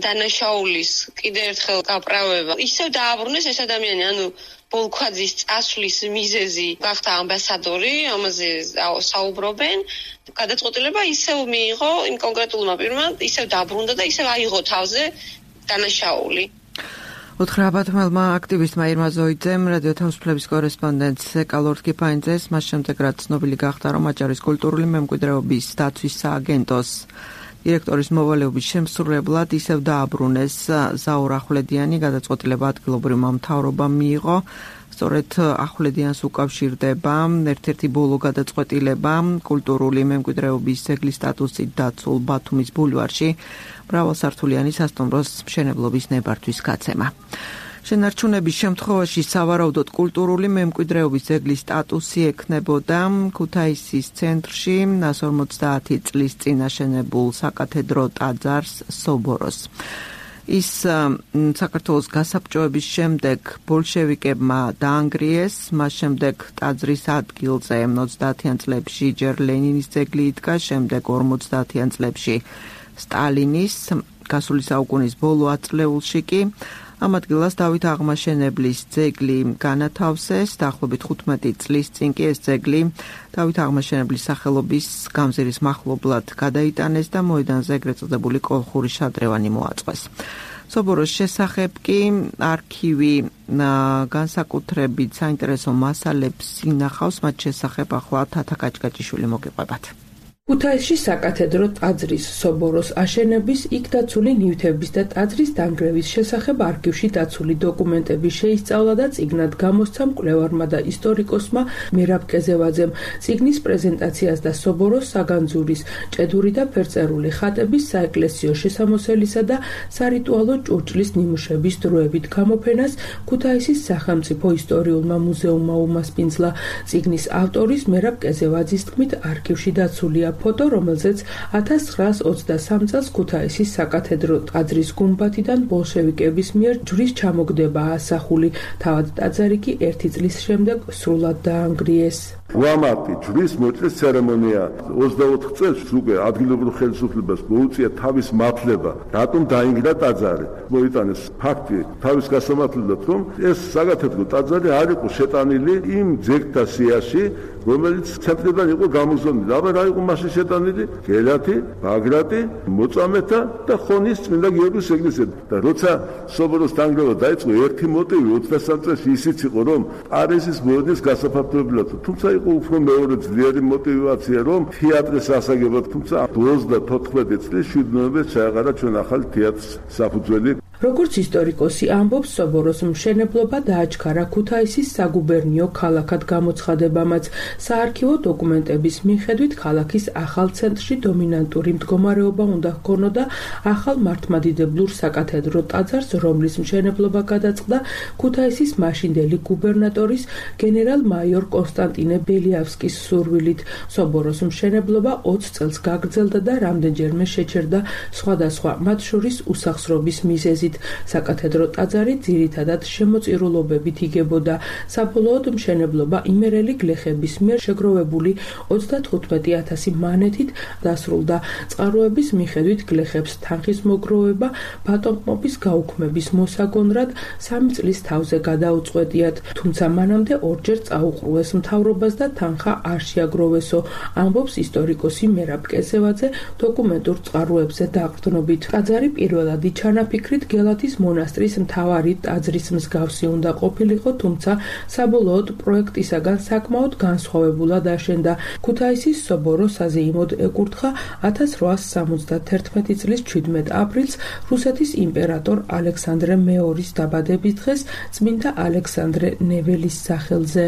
დანაშაულის კიდევ ერთხელ გაправება, ისევ დააბრუნეს ეს ადამიანი, ანუ ბოლქვაძის წასვლის მიზეზი გახდა ამბასადორი, ამაზე საუბრობენ. გადაწყვეტილება ისევ მიიღო იმ კონკრეტულმა პირმა, ისევ დაბრუნდა და ისევ აიღო თავზე დანაშაული. უთხრა ბათუმელმა აქტივისტმა ირმა ზოიძემ რადიო თავისუფლების კორესპონდენტს ეკალორდ კიფაინძეს მას შემდეგ რაც ცნობილი გახდა, რომ აჭარის კულტურული მემკვიდრეობის დაცვის სააგენტოს დირექტორის მოვალეობის შემსრულებლად ისევ დააბრუნეს საურ ახვლედიანი, გადაწყვეტილება ადგილობრივმა მთავრობამ მიიღო. სწორედ ახვლედიანს უკავშირდება ერთ-ერთი ბოლო გადაწყვეტილება კულტურული მემკვიდრეობის ძეგლის სტატუსით დაცულ ბათუმის ბულვარში მრავალსართულიანი სასტუმროს მშენებლობის ნებართვის გაცემა. შენარჩუნების შემთხვევაში სავარაუდოდ კულტურული მემკვიდრეობის ძეგლის სტატუსი ექნებოდა ქუთაისის ცენტრში ორმოცდაათი წლის წინ აშენებულ საკათედრო ტაძარს სობოროს. ის საქართველოს გასაბჭოების შემდეგ ბოლშევიკებმა დაანგრიეს, მას შემდეგ ტაძრის ადგილზე ოცდაათიან წლებში ჯერ ლენინის ძეგლი იდგა, შემდეგ ორმოცდაათიან წლებში სტალინის, გასული საუკუნის ბოლო ათწლეულში კი ამ ადგილას დავით აღმაშენებლის ძეგლი განათავსეს, დაახლოებით თხუთმეტი წლის წინ კი ეს ძეგლი დავით აღმაშენებლის სახელობის გამზირის მახლობლად გადაიტანეს და მოედანზე ეგრეთ წოდებული კოლხური შადრევანი მოაწყვეს. სობოროს შესახებ კი არქივი განსაკუთრებით საინტერესო მასალებს ინახავს, მათ შესახებ ახლა თათა კაჭკაჭიშვილი მოგიყვებათ. ქუთაისში საკათედრო ტაძრის სობოროს აშენების, იქ დაცული ნივთების და ტაძრის დანგრევის შესახებ არქივში დაცული დოკუმენტები შეისწავლა და წიგნად გამოსცა მკვლევარმა და ისტორიკოსმა მერაბ კეზევაძემ. წიგნის პრეზენტაციას და სობოროს საგანძურის, ჭედური და ფერწერული ხატების, საეკლესიო შესამოსელისა და სარიტუალო ჭურჭლის ნიმუშების დროებით გამოფენას ქუთაისის სახელმწიფო ისტორიულმა მუზეუმმა უმასპინძლა. წიგნის ავტორის მერაბ კეზევაძის თქმით, არქივში დაცულია ფოტო, რომელზეც ათას ცხრაას ოცდასამ წელს ქუთაისის საკათედრო ტაძრის გუმბათიდან ბოლშევიკების მიერ ჯვრის ჩამოგდებაა ასახული. თავად ტაძარი კი ერთი წლის შემდეგ სრულად დაანგრიეს. უამრავი ჯვრის მოჭრის ცერემონია ოცდაოთხ წელს უკვე ადგილობრივ ხელისუფლებას მოუწია თავის მართლება, რატომ დაინგრა ტაძარი. მოიტანეს ფაქტი თავის გასამართლებლად, რომ ეს საკათედრო ტაძარი არ იყო შეტანილი იმ ძეგლთა სიაში, რომელიც ცენტრიდან იყო გამოგზავნილი. აბა რა იყო მასში შეტანილი? გელათი, ბაგრატი, მოწამეთა და ხონის წმინდა გიორგის ეკლესია. და როცა სობოროს დანგრევა დაიწყო, ერთი მოტივი ოცდასამ წელს ისიც იყო, რომ პარიზის მოედნის გასაფართოებლად, თუმცა იყო უფრო მეორე ძლიერი мотивация, რომ თეატრის ასაგებად, თუმცა ოცდათოთხმეტი წლის შვიდ ნოემბერს ჩაეყარა ჩვენ ახალ თეატრს საფუძველი. როგორც ისტორიკოსი ამბობს, სობოროს მშენებლობა დააჩქარა ქუთაისის საგუბერნიო ქალაქად გამოცხადებამაც. საარქივო დოკუმენტების მიხედვით ქალაქის ახალ ცენტრში დომინანტური მდგომარეობა უნდა ჰქონოდა ახალ მართლმადიდებლურ საკათედრო ტაძარს, რომლის მშენებლობა გადაწყდა ქუთაისის მაშინდელი გუბერნატორის გენერალ-მაიორ კონსტანტინე ბელიავსკის სურვილით. სობოროს მშენებლობა ოცი წელს გაგრძელდა და რამდენჯერმე შეჩერდა სხვადასხვა, მათ შორის უსახსრობის მიზეზით. საკათედრო ტაძარი ძირითადად შემოწირულობებით იგებოდა. საბოლოოდ მშენებლობა იმერელი გლეხების მიერ შეგროვებული ოცდათხუთმეტი ათასი მანეთით დასრულდა. წყაროების მიხედვით გლეხებს თანხის მოგროვება ბატონყმობის გაუქმების მოსაგონრად სამი წლის თავზე გადაუწყვეტიათ, თუმცა მანამდე ორჯერ წაუყრუეს მთავრობას და თანხა არ შეაგროვესო, ამბობს ისტორიკოსი მერაბ კესევაძე დოკუმენტურ წყაროებზე დაყრდნობით. ტაძარი პირველადი ჩანაფიქრით გელათის მონასტრის მთავარი ტაძრის მსგავსი უნდა ყოფილიყო, თუმცა საბოლოოდ პროექტისაგან საკმაოდ განსხვავებულად აშენდა. ქუთაისის სობორო საზეიმოდ ეკურთხა ათას რვაასი სამოცდათერთმეტი წლის ჩვიდმეტ აპრილს რუსეთის იმპერატორ ალექსანდრე მეორის დაბადების დღეს წმინდა ალექსანდრე ნეველის სახელზე.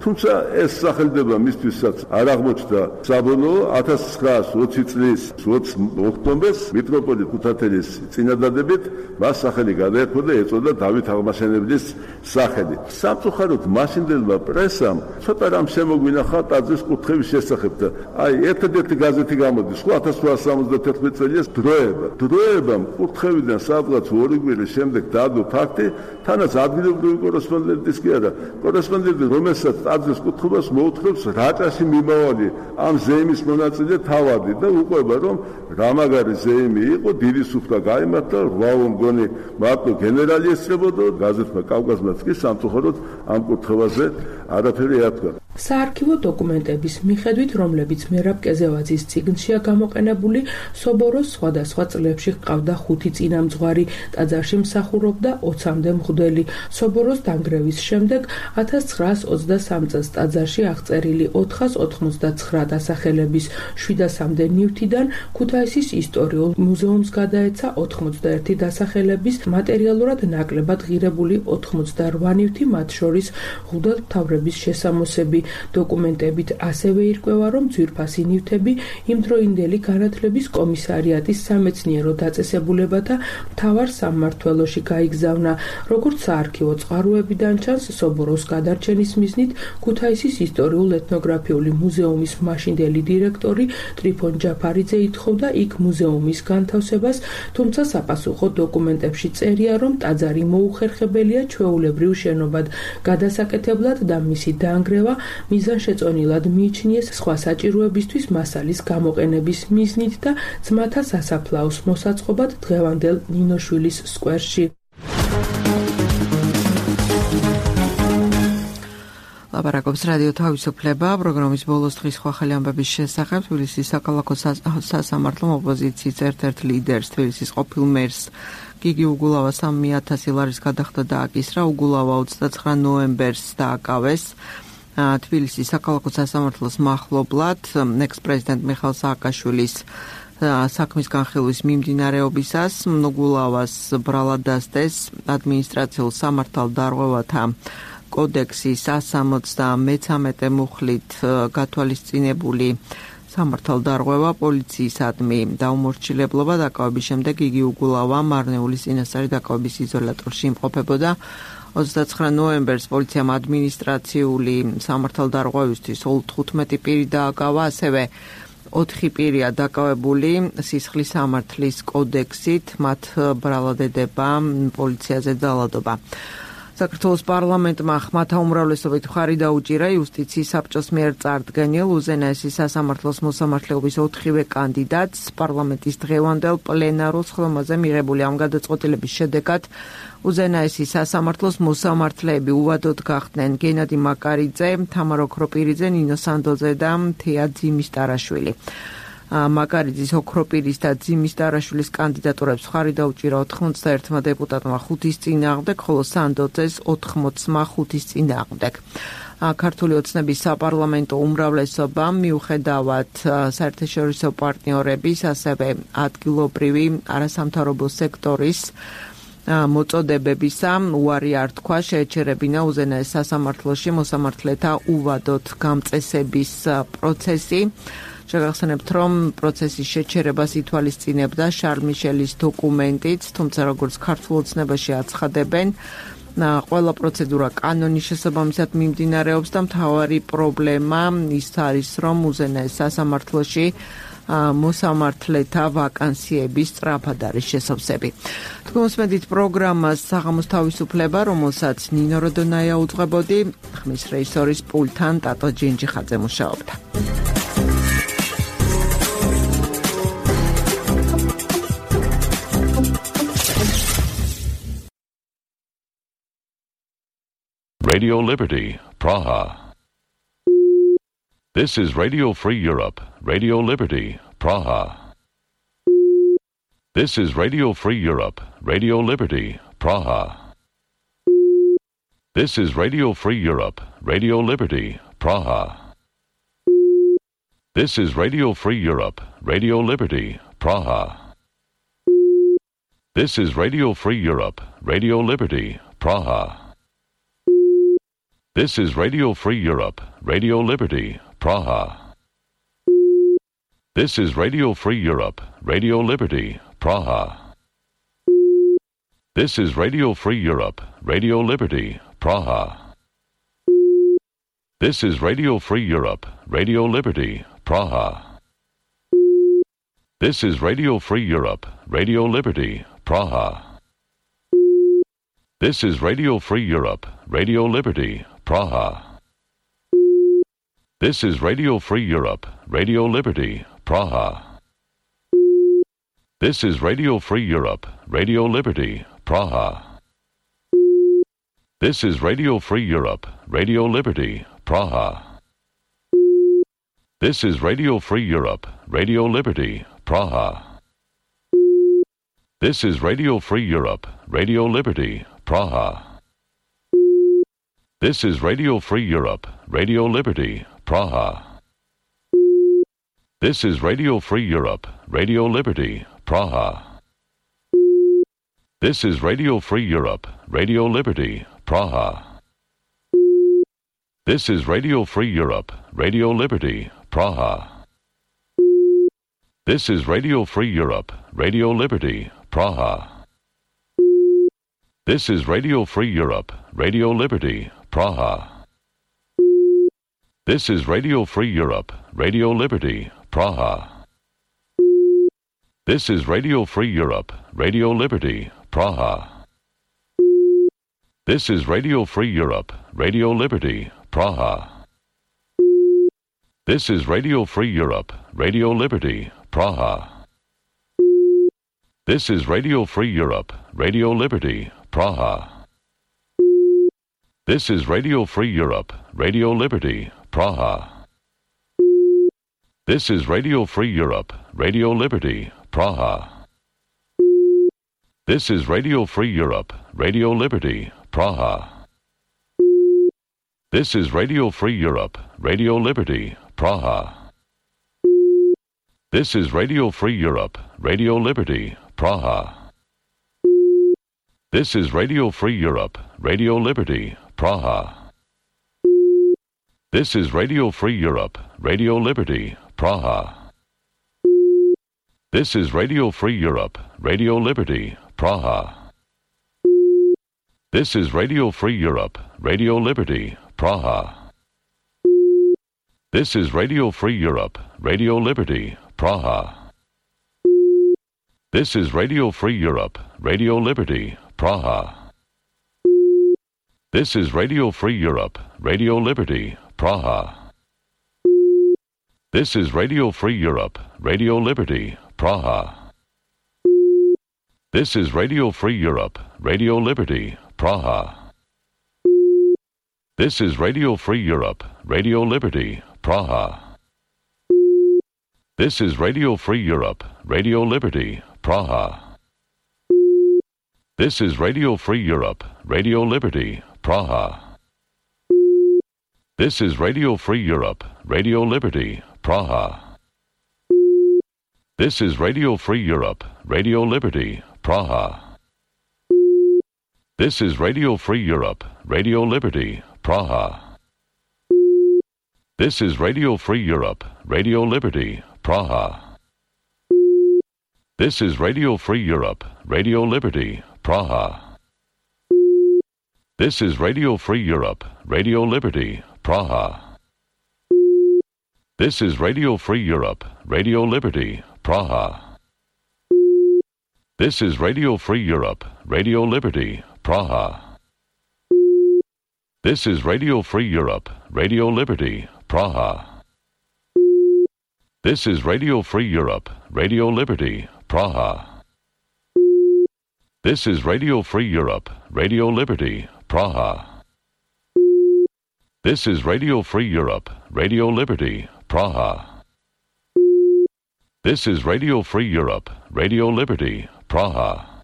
თუმცა ეს სახელდება მისთვისაც არ აღმოჩნდა საბოლოო ათას ცხრაასი ოცი წლის ოცი ოქტომბერს მიტროპოლიტ ქუთათელის წინადადებით მას სახელი გადაერქვა და ეწოდა დავით აღმაშენებლის სახელი. სამწუხაროდ მაშინდელმა პრესამ ცოტა რამ შემოგვინახა ტაძრის კუთხეების შესახებ და აი ერთ-ერთი გაზეთი გამოდის ხო ათას რვაასი სამოცდათერთმეტი წელს დროება. დროებამ კუთხევიდან სადღაც ორი კვირის შემდეგ დაადო ფაქტი, თანაც ადგილობრივი კორესპონდენტის კი არა, კორესპონდენტი რომელსაც ტაძრის კუთხობას მოუთხებს რაჭაში მიმავალი ამ ზეიმის მონაწილე თავადი და უყვება რომ რამაგარი ზეიმი იყო, დიდი სუფთა გაიმართა, რვაო მგონი მარტო გენერალი ესწრებოდა, გაზეთმა კავკასმაც კი სამწუხაროდ ამ კუთხევაზე არაფერი ეთქვა. საარქივო დოკუმენტების მიხედვით, რომლებიც მერაბ კეზევაძის წიგნშია გამოყენებული, სობოროს სხვადასხვა წლებში ჰყავდა ხუთი წინამძღვარი, ტაძარში მსახურობდა ოცამდე მღვდელი. სობოროს დანგრევის შემდეგ ათას ცხრაასი ოცდასამი წელს ტაძარში აღწერილი ოთხას ოთხმოცდაცხრა დასახელების შვიდასამდე ნივთიდან ქუთაისის ისტორიულ მუზეუმს გადაეცა ოთხმოცდაერთი დასახელების მატერიალურად ნაკლებად ღირებული ოთხმოცდარვა ნივთი, მათ შორის მღვდელმთავრების შესამოსები. დოკუმენტებით ასევე ირკვევა, რომ ძვირფასი ნივთები იმდროინდელი განათლების კომისარიატის სამეცნიერო დაწესებულებათა მთავარ სამმართველოში გაიგზავნა. როგორც საარქივო წყაროებიდან ჩანს, სობოროს გადარჩენის მიზნით ქუთაისის ისტორიულ-ეთნოგრაფიული მუზეუმის მაშინდელი დირექტორი ტრიფონ ჯაფარიძე ითხოვდა იქ მუზეუმის განთავსებას, თუმცა საპასუხო დოკუმენტებში წერია, რომ ტაძარი მოუხერხებელია ჩვეულებრივ შენობად გადასაკეთებლად და მისი დაანგრევა მიზანშეწონილად მიიჩნიეს სხვა საჭიროებისთვის მასალის გამოყენების მიზნით და ძმათა სასაფლაოს მოსაწყობად დღევანდელ ნინოშვილის სკვერში. ლაპარაკობს რადიო თავისუფლება, პროგრამის ბოლოს დღის სხვა ხელი ამბების შესახებ თბილისის საქალაქო სასამართლო ოპოზიციის ერთ-ერთ ლიდერს, თბილისის ყოფილ მერს გიგი უგულავას სამი ათასი ლარის გადახდა დააკისრა. უგულავა ოცდაცხრა ნოემბერს დააკავეს თბილისის საქალაქო სასამართლოს მახლობლად ექს-პრეზიდენტ მიხაილ სააკაშვილის საქმის განხილვის მიმდინარეობისას. უგულავას ბრალად დასდეს ადმინისტრაციულ სამართალდარღვევათა კოდექსის სამოცდამეცამეტე მუხლით გათვალისწინებული სამართალდარღვევა, პოლიციისადმი დაუმორჩილებლობა დაკავების შემდეგ იგი უგულავა მარნეულის წინასწარი დაკავების იზოლატორში იმყოფებოდა. ოცდაცხრა ნოემბერს პოლიციამ ადმინისტრაციული სამართალდარღვევისთვის თხუთმეტი პირი დააკავა, ასევე ოთხი პირია დაკავებული სისხლის სამართლის კოდექსით, მათ ბრალად ედება პოლიციაზე ძალადობა. საქართველოს პარლამენტმა ხმათა უმრავლესობით მხარი დაუჭირა იუსტიციის საბჭოს მიერ წარდგენილ უზენაესი სასამართლოს მოსამართლეობის ოთხივე კანდიდატს. პარლამენტის დღევანდელ პლენარულ სხდომაზე მიღებული ამ გადაწყვეტილების შედეგად უზენაესი სასამართლოს მოსამართლეები უვადოდ გახდნენ გენადი მაკარიძე, თამარ ოქროპირიძე, ნინო სანდოძე და თეა ძიმისტარაშვილი. მაკარიძის, ოქროპირის და ძიმისტარაშვილის კანდიდატურებს მხარი დაუჭირა ოთხმოცდაერთმა დეპუტატმა ხუთის წინააღმდეგ, ხოლო სანდოძეს ოთხმოცმა ხუთის წინააღმდეგ. ქართული ოცნების საპარლამენტო უმრავლესობა მიუხედავად საერთაშორისო პარტნიორების, ასევე ადგილობრივი არასამთავრობო სექტორის მოწოდებებისა უარი არ თქვა, შეეჩერებინა უზენაეს სასამართლოში მოსამართლეთა უვადოდ გამწესების პროცესი. შეგახსენებთ, რომ პროცესის შეჩერებას ითვალისწინებდა შარლ მიშელის დოკუმენტიც, თუმცა როგორც ქართულ ოცნებაში აცხადებენ, ყველა პროცედურა კანონის შესაბამისად მიმდინარეობს და მთავარი პრობლემა ის არის, რომ უზენაეს სასამართლოში მოსამართლეთა ვაკანსიების სწრაფად არის შესავსები. თქვენ მოსმენთ პროგრამას საღამოს თავისუფლება, რომელსაც ნინო როდონაია უძღვებოდი, ხმის რეჟისორის პულტთან ტატო ჯინჯიხაძე მუშაობდა. Radio Liberty, Praha. This is Radio Free Europe, Radio Liberty, Praha. This is Radio Free Europe, Radio Liberty, Praha. This is Radio Free Europe, Radio Liberty, Praha. This is Radio Free Europe, Radio Liberty, Praha. This is Radio Free Europe, Radio Liberty, Praha. This is Radio Free Europe, Radio Liberty, Praha. This is Radio Free Europe, Radio Liberty, Praha. This is Radio Free Europe, Radio Liberty, Praha. This is Radio Free Europe, Radio Liberty, Praha. This is Radio Free Europe, Radio Liberty, Praha. This is Radio Free Europe, Radio Liberty, Praha. This is Radio Free Europe, Radio Liberty, Praha. This is Radio Free Europe, Radio Liberty, Praha. This is Radio Free Europe, Radio Liberty, Praha. This is Radio Free Europe, Radio Liberty, Praha. This is Radio Free Europe, Radio Liberty, Praha. This is Radio Free Europe, Radio Liberty, Praha. This is Radio Free Europe, Radio Liberty, Praha. This is Radio Free Europe, Radio Liberty, Praha. This is Radio Free Europe, Radio Liberty, Praha. This is Radio Free Europe, Radio Liberty, Praha. This is Radio Free Europe, Radio Liberty, Praha. This is Radio Free Europe, Radio Liberty, Praha. This is Radio Free Europe, Radio Liberty, Praha. This is Radio Free Europe, Radio Liberty, Praha. This is Radio Free Europe, Radio Liberty, Praha. This is Radio Free Europe, Radio Liberty, Praha. This is Radio Free Europe, Radio Liberty, Praha. This is Radio Free Europe, Radio Liberty, Praha. This is Radio Free Europe, Radio Liberty, Praha. This is Radio Free Europe, Radio Liberty, Praha. This is Radio Free Europe, Radio Liberty, Praha. This is Radio Free Europe, Radio Liberty, Praha. This is Radio Free Europe, Radio Liberty, Praha. This is Radio Free Europe, Radio Liberty, Praha. This is Radio Free Europe, Radio Liberty, Praha. This is Radio Free Europe, Radio Liberty, Praha. This is Radio Free Europe, Radio Liberty, Praha. This is Radio Free Europe, Radio Liberty, Praha. This is Radio Free Europe, Radio Liberty, Praha. This is Radio Free Europe, Radio Liberty, Praha. This is Radio Free Europe, Radio Liberty, Praha. This is Radio Free Europe, Radio Liberty, Praha. This is Radio Free Europe, Radio Liberty, Praha. This is Radio Free Europe, Radio Liberty, Praha. This is Radio Free Europe, Radio Liberty, Praha. This is Radio Free Europe, Radio Liberty, Praha. This is Radio Free Europe, Radio Liberty, Praha. This is Radio Free Europe, Radio Liberty, Praha. This is Radio Free Europe, Radio Liberty, Praha. This is Radio Free Europe, Radio Liberty, Praha. This is Radio Free Europe, Radio Liberty, Praha. This is Radio Free Europe, Radio Liberty, Praha. This is Radio Free Europe, Radio Liberty, Praha. This is Radio Free Europe, Radio Liberty, Praha. This is Radio Free Europe, Radio Liberty, Praha. This is Radio Free Europe, Radio Liberty, Praha.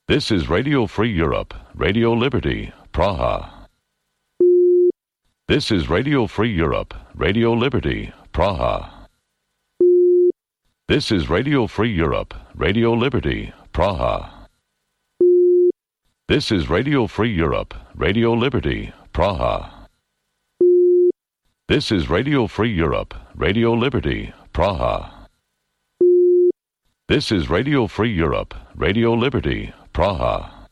This is Radio Free Europe, Radio Liberty, Praha. This is Radio Free Europe, Radio Liberty, Praha. This is Radio Free Europe, Radio Liberty, Praha. This is Radio Free Europe, Radio Liberty, Praha. This is Radio Free Europe, Radio Liberty, Praha. This is Radio Free Europe, Radio Liberty, Praha.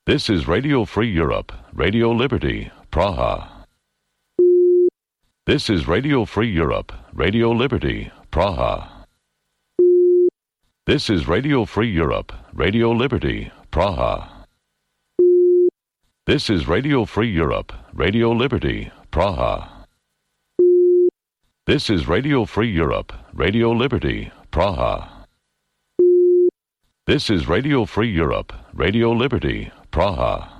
This is Radio Free Europe, Radio Liberty, Praha. This is Radio Free Europe, Radio Liberty, Praha. This is Radio Free Europe, Radio Liberty, Praha. This is Radio Free Europe, Radio Liberty, Praha. This is Radio Free Europe, Radio Liberty, Praha. This is Radio Free Europe, Radio Liberty, Praha.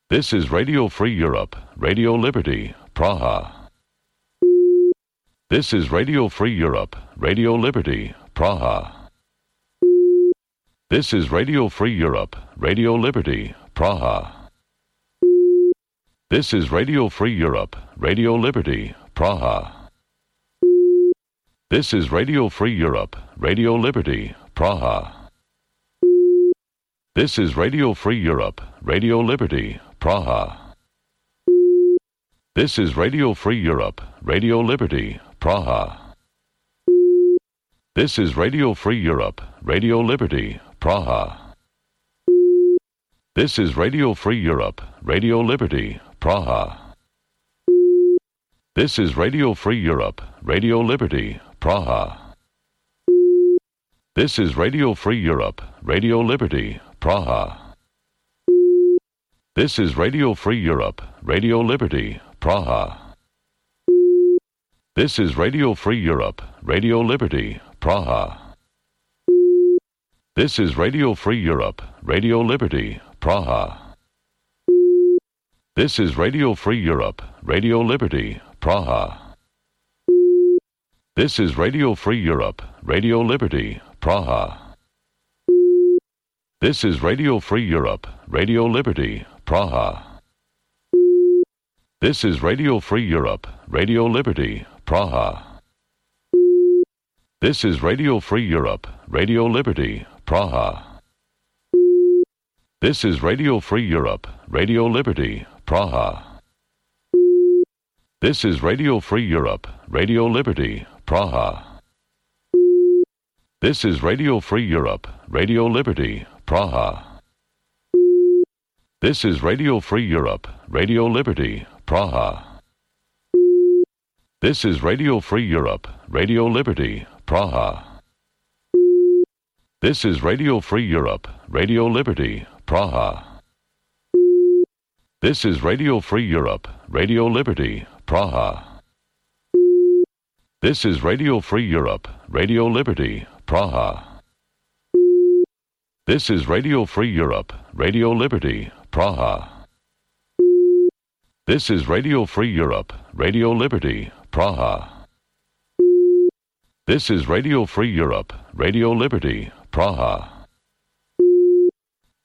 This is Radio Free Europe, Radio Liberty, Praha. This is Radio Free Europe, Radio Liberty, Praha. This is Radio Free Europe, Radio Liberty, Praha. This is Radio Free Europe, Radio Liberty, Praha. This is Radio Free Europe, Radio Liberty, Praha. This is Radio Free Europe, Radio Liberty, Praha. This is Radio Free Europe, Radio Liberty, Praha. This is Radio Free Europe, Radio Liberty, Praha. This is Radio Free Europe, Radio Liberty, Praha. This is Radio Free Europe, Radio Liberty, Praha. This is Radio Free Europe, Radio Liberty, Praha. This is Radio Free Europe, Radio Liberty, Praha. This is Radio Free Europe, Radio Liberty, Praha. This is Radio Free Europe, Radio Liberty, Praha. This is Radio Free Europe, Radio Liberty, Praha. This is Radio Free Europe, Radio Liberty, Praha. This is Radio Free Europe, Radio Liberty, Praha. This is Radio Free Europe, Radio Liberty, Praha. This is Radio Free Europe, Radio Liberty, Praha. This is Radio Free Europe, Radio Liberty, Praha. This is Radio Free Europe, Radio Liberty, Praha. This is Radio Free Europe, Radio Liberty, Praha. This is Radio Free Europe, Radio Liberty, Praha. This is Radio Free Europe, Radio Liberty, Praha. This is Radio Free Europe, Radio Liberty, Praha. This is Radio Free Europe, Radio Liberty, Praha. This is Radio Free Europe, Radio Liberty, Praha. This is Radio Free Europe, Radio Liberty, Praha. This is Radio Free Europe, Radio Liberty, Praha. This is Radio Free Europe, Radio Liberty, Praha.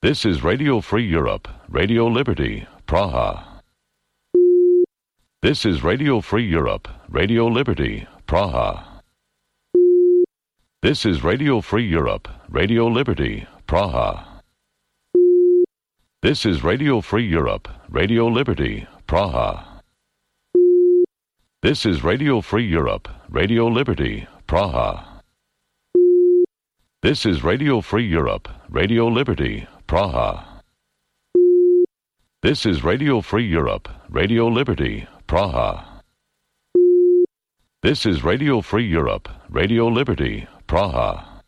This is Radio Free Europe, Radio Liberty, Praha. This is Radio Free Europe, Radio Liberty, Praha. This is Radio Free Europe, Radio Liberty, Praha. This is Radio Free Europe, Radio Liberty, Praha. This is Radio Free Europe, Radio Liberty, Praha. This is Radio Free Europe, Radio Liberty, Praha. This is Radio Free Europe, Radio Liberty, Praha. This is Radio Free Europe, Radio Liberty, Praha.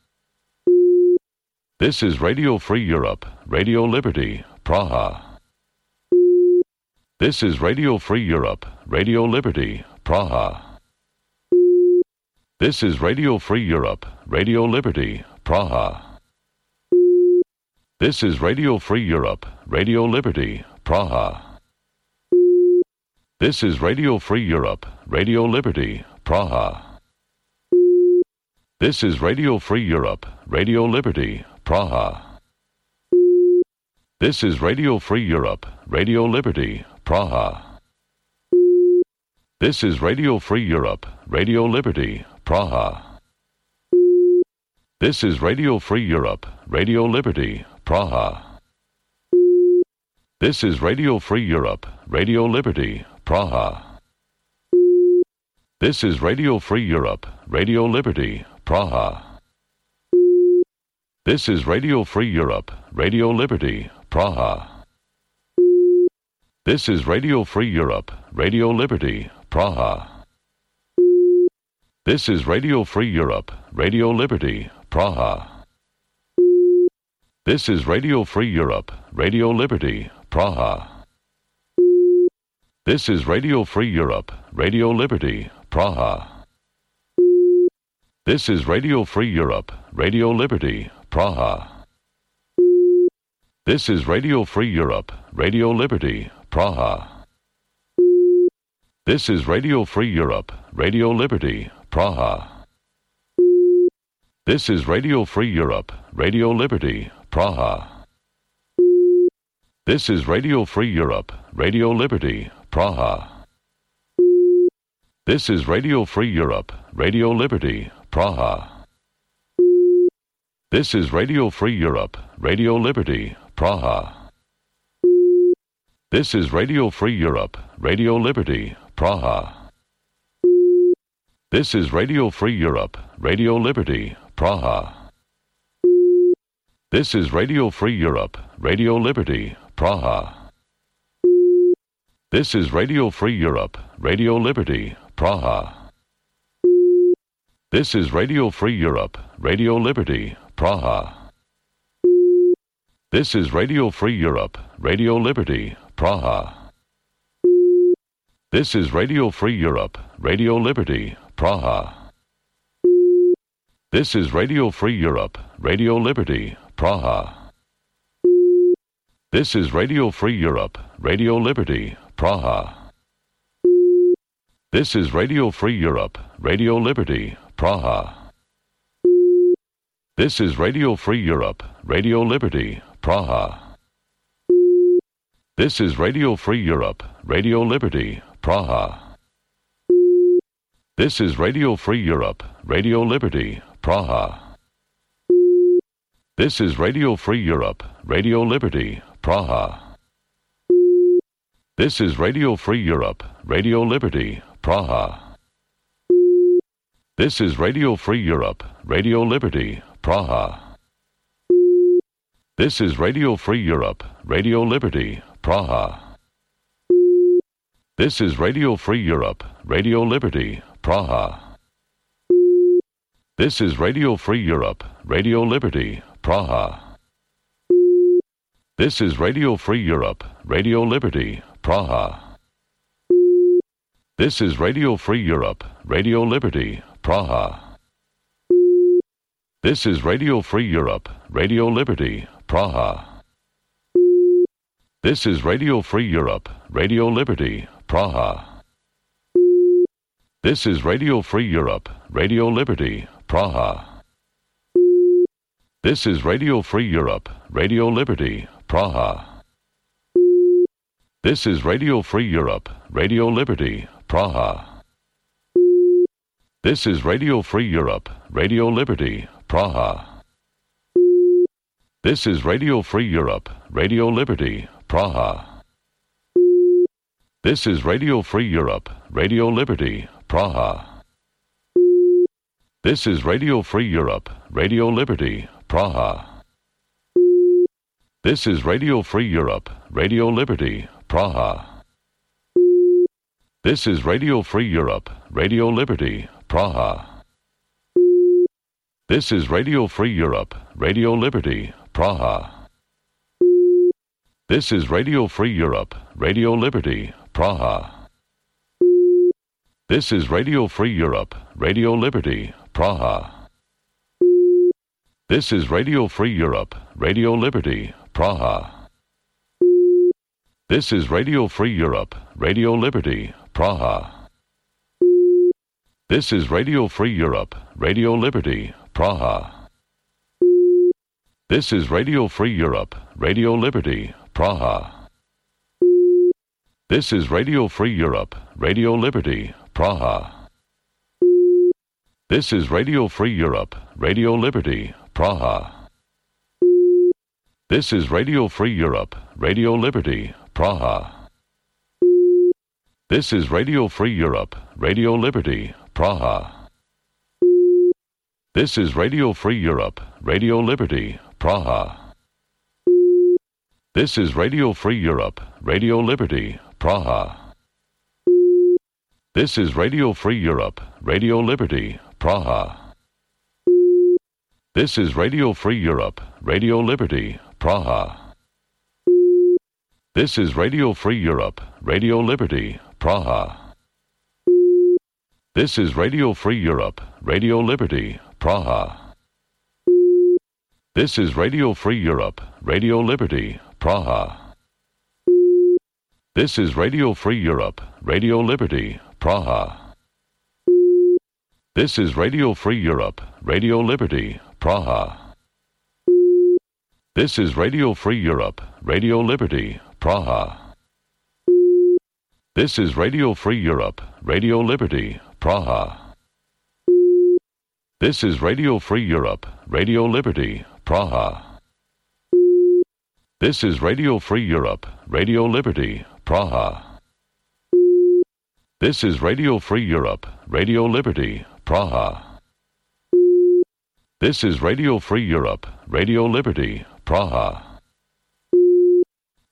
This is Radio Free Europe, Radio Liberty, Praha. This is Radio Free Europe, Radio Liberty, Praha. This is Radio Free Europe, Radio Liberty, Praha. This is Radio Free Europe, Radio Liberty, Praha. This is Radio Free Europe, Radio Liberty, Praha. This is Radio Free Europe, Radio Liberty, Praha. This is Radio Free Europe, Radio Liberty, Praha. This is Radio Free Europe, Radio Liberty, Praha. This is Radio Free Europe, Radio Liberty, Praha. This is Radio Free Europe, Radio Liberty, Praha. This is Radio Free Europe, Radio Liberty, Praha. This is Radio Free Europe, Radio Liberty, Praha. This is Radio Free Europe, Radio Liberty, Praha. This is Radio Free Europe, Radio Liberty, Praha. This is Radio Free Europe, Radio Liberty, Praha. This is Radio Free Europe, Radio Liberty, Praha. This is Radio Free Europe, Radio Liberty, Praha. This is Radio Free Europe, Radio Liberty, Praha. This is Radio Free Europe, Radio Liberty, Praha. This is Radio Free Europe, Radio Liberty, Praha. This is Radio Free Europe, Radio Liberty, Praha. This is Radio Free Europe, Radio Liberty, Praha. This is Radio Free Europe, Radio Liberty, Praha. This is Radio Free Europe, Radio Liberty, Praha. This is Radio Free Europe, Radio Liberty, Praha. This is Radio Free Europe, Radio Liberty, Praha. This is Radio Free Europe, Radio Liberty, Praha. This is Radio Free Europe, Radio Liberty, Praha. This is Radio Free Europe, Radio Liberty, Praha. This is Radio Free Europe, Radio Liberty, Praha. This is Radio Free Europe, Radio Liberty, Praha. This is Radio Free Europe, Radio Liberty, Praha. This is Radio Free Europe, Radio Liberty, Praha. This is Radio Free Europe, Radio Liberty, Praha. This is Radio Free Europe, Radio Liberty, Praha. This is Radio Free Europe, Radio Liberty, Praha. This is Radio Free Europe, Radio Liberty, Praha. This is Radio Free Europe, Radio Liberty, Praha. This is Radio Free Europe, Radio Liberty, Praha. This is Radio Free Europe, Radio Liberty, Praha. This is Radio Free Europe, Radio Liberty, Praha. This is Radio Free Europe, Radio Liberty, Praha. This is Radio Free Europe, Radio Liberty, Praha. This is Radio Free Europe, Radio Liberty, Praha. This is Radio Free Europe, Radio Liberty, Praha. This is Radio Free Europe, Radio Liberty, Praha. This is Radio Free Europe, Radio Liberty, Praha. This is Radio Free Europe, Radio Liberty, Praha. This is Radio Free Europe, Radio Liberty, Praha. This is Radio Free Europe, Radio Liberty, Praha. This is Radio Free Europe, Radio Liberty, Praha. This is Radio Free Europe, Radio Liberty, Praha. This is Radio Free Europe, Radio Liberty, Praha. This is Radio Free Europe, Radio Liberty, Praha. This is Radio Free Europe, Radio Liberty, Praha. This is Radio Free Europe, Radio Liberty, Praha. This is Radio Free Europe, Radio Liberty, Praha. This is Radio Free Europe, Radio Liberty, Praha. This is Radio Free Europe, Radio Liberty, Praha. This is Radio Free Europe, Radio Liberty, Praha. This is Radio Free Europe, Radio Liberty, Praha. This is Radio Free Europe, Radio Liberty, Praha. This is Radio Free Europe, Radio Liberty, Praha. This is Radio Free Europe, Radio Liberty, Praha. This is Radio Free Europe, Radio Liberty, Praha. This is Radio Free Europe, Radio Liberty, Praha. This is Radio Free Europe, Radio Liberty, Praha. This is Radio Free Europe, Radio Liberty, Praha. This is Radio Free Europe, Radio Liberty, Praha. This is Radio Free Europe, Radio Liberty, Praha. This is Radio Free Europe, Radio Liberty, Praha. This is Radio Free Europe, Radio Liberty, Praha. This is Radio Free Europe, Radio Liberty, Praha. This is Radio Free Europe, Radio Liberty, Praha. This is Radio Free Europe, Radio Liberty, Praha. This is Radio Free Europe, Radio Liberty, Praha. This is Radio Free Europe, Radio Liberty, Praha. This is Radio Free Europe, Radio Liberty, Praha. This is Radio Free Europe, Radio Liberty, Praha. This is Radio Free Europe, Radio Liberty, Praha. This is Radio Free Europe, Radio Liberty, Praha.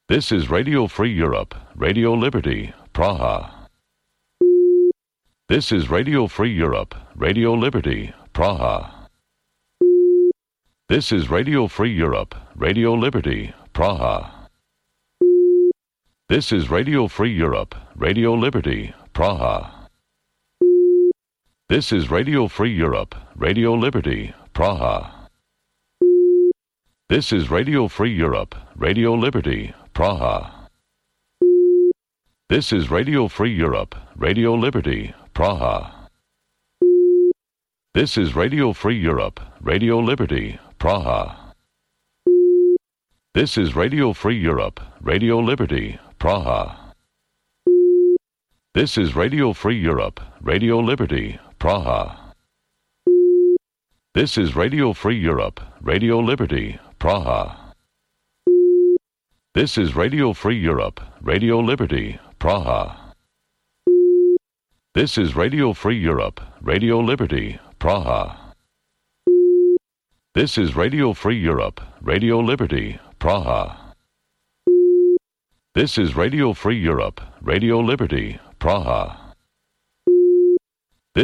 This is Radio Free Europe, Radio Liberty, Praha. This is Radio Free Europe, Radio Liberty, Praha. This is Radio Free Europe, Radio Liberty, Praha. This is Radio Free Europe, Radio Liberty, Praha. This is Radio Free Europe, Radio Liberty, Praha. This is Radio Free Europe, Radio Liberty, Praha. This is Radio Free Europe, Radio Liberty, Praha. This is Radio Free Europe, Radio Liberty, Praha. This is Radio Free Europe, Radio Liberty, Praha. This is Radio Free Europe, Radio Liberty, Praha. This is Radio Free Europe, Radio Liberty, Praha. This is Radio Free Europe, Radio Liberty, Praha. This is Radio Free Europe, Radio Liberty, Praha. This is Radio Free Europe, Radio Liberty, Praha. This is Radio Free Europe, Radio Liberty, Praha.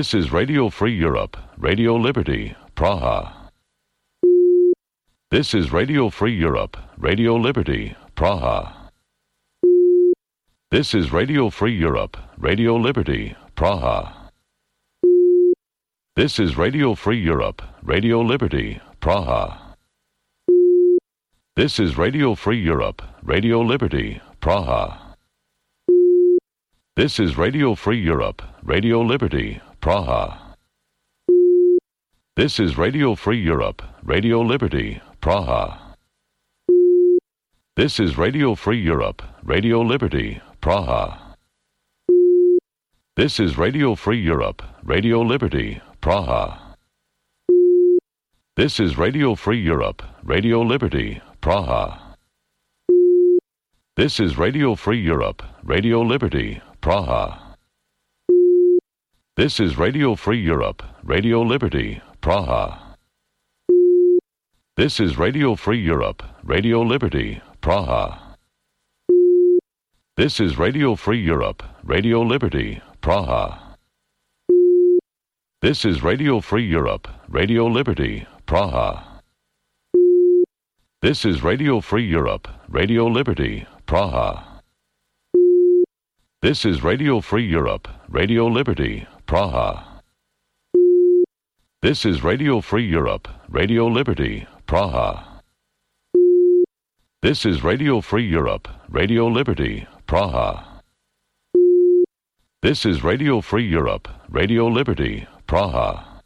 This is Radio Free Europe, Radio Liberty, Praha. This is Radio Free Europe, Radio Liberty, Praha. This is Radio Free Europe, Radio Liberty, Praha. This is Radio Free Europe, Radio Liberty, Praha. This is Radio Free Europe, Radio Liberty, Praha. This is Radio Free Europe, Radio Liberty, Praha. This is Radio Free Europe, Radio Liberty, Praha. This is Radio Free Europe, Radio Liberty, Praha. This is Radio Free Europe, Radio Liberty, Praha. This is Radio Free Europe, Radio Liberty, Praha. This is Radio Free Europe, Radio Liberty, Praha. This is Radio Free Europe, Radio Liberty, Praha. This is Radio Free Europe, Radio Liberty, Praha. This is Radio Free Europe, Radio Liberty, Praha. This is Radio Free Europe, Radio Liberty, Praha. This is Radio Free Europe, Radio Liberty, Praha. This is Radio Free Europe, Radio Liberty, Praha. This is Radio Free Europe, Radio Liberty, Praha. This is Radio Free Europe, Radio Liberty, Praha. This is Radio Free Europe, Radio Liberty, Praha.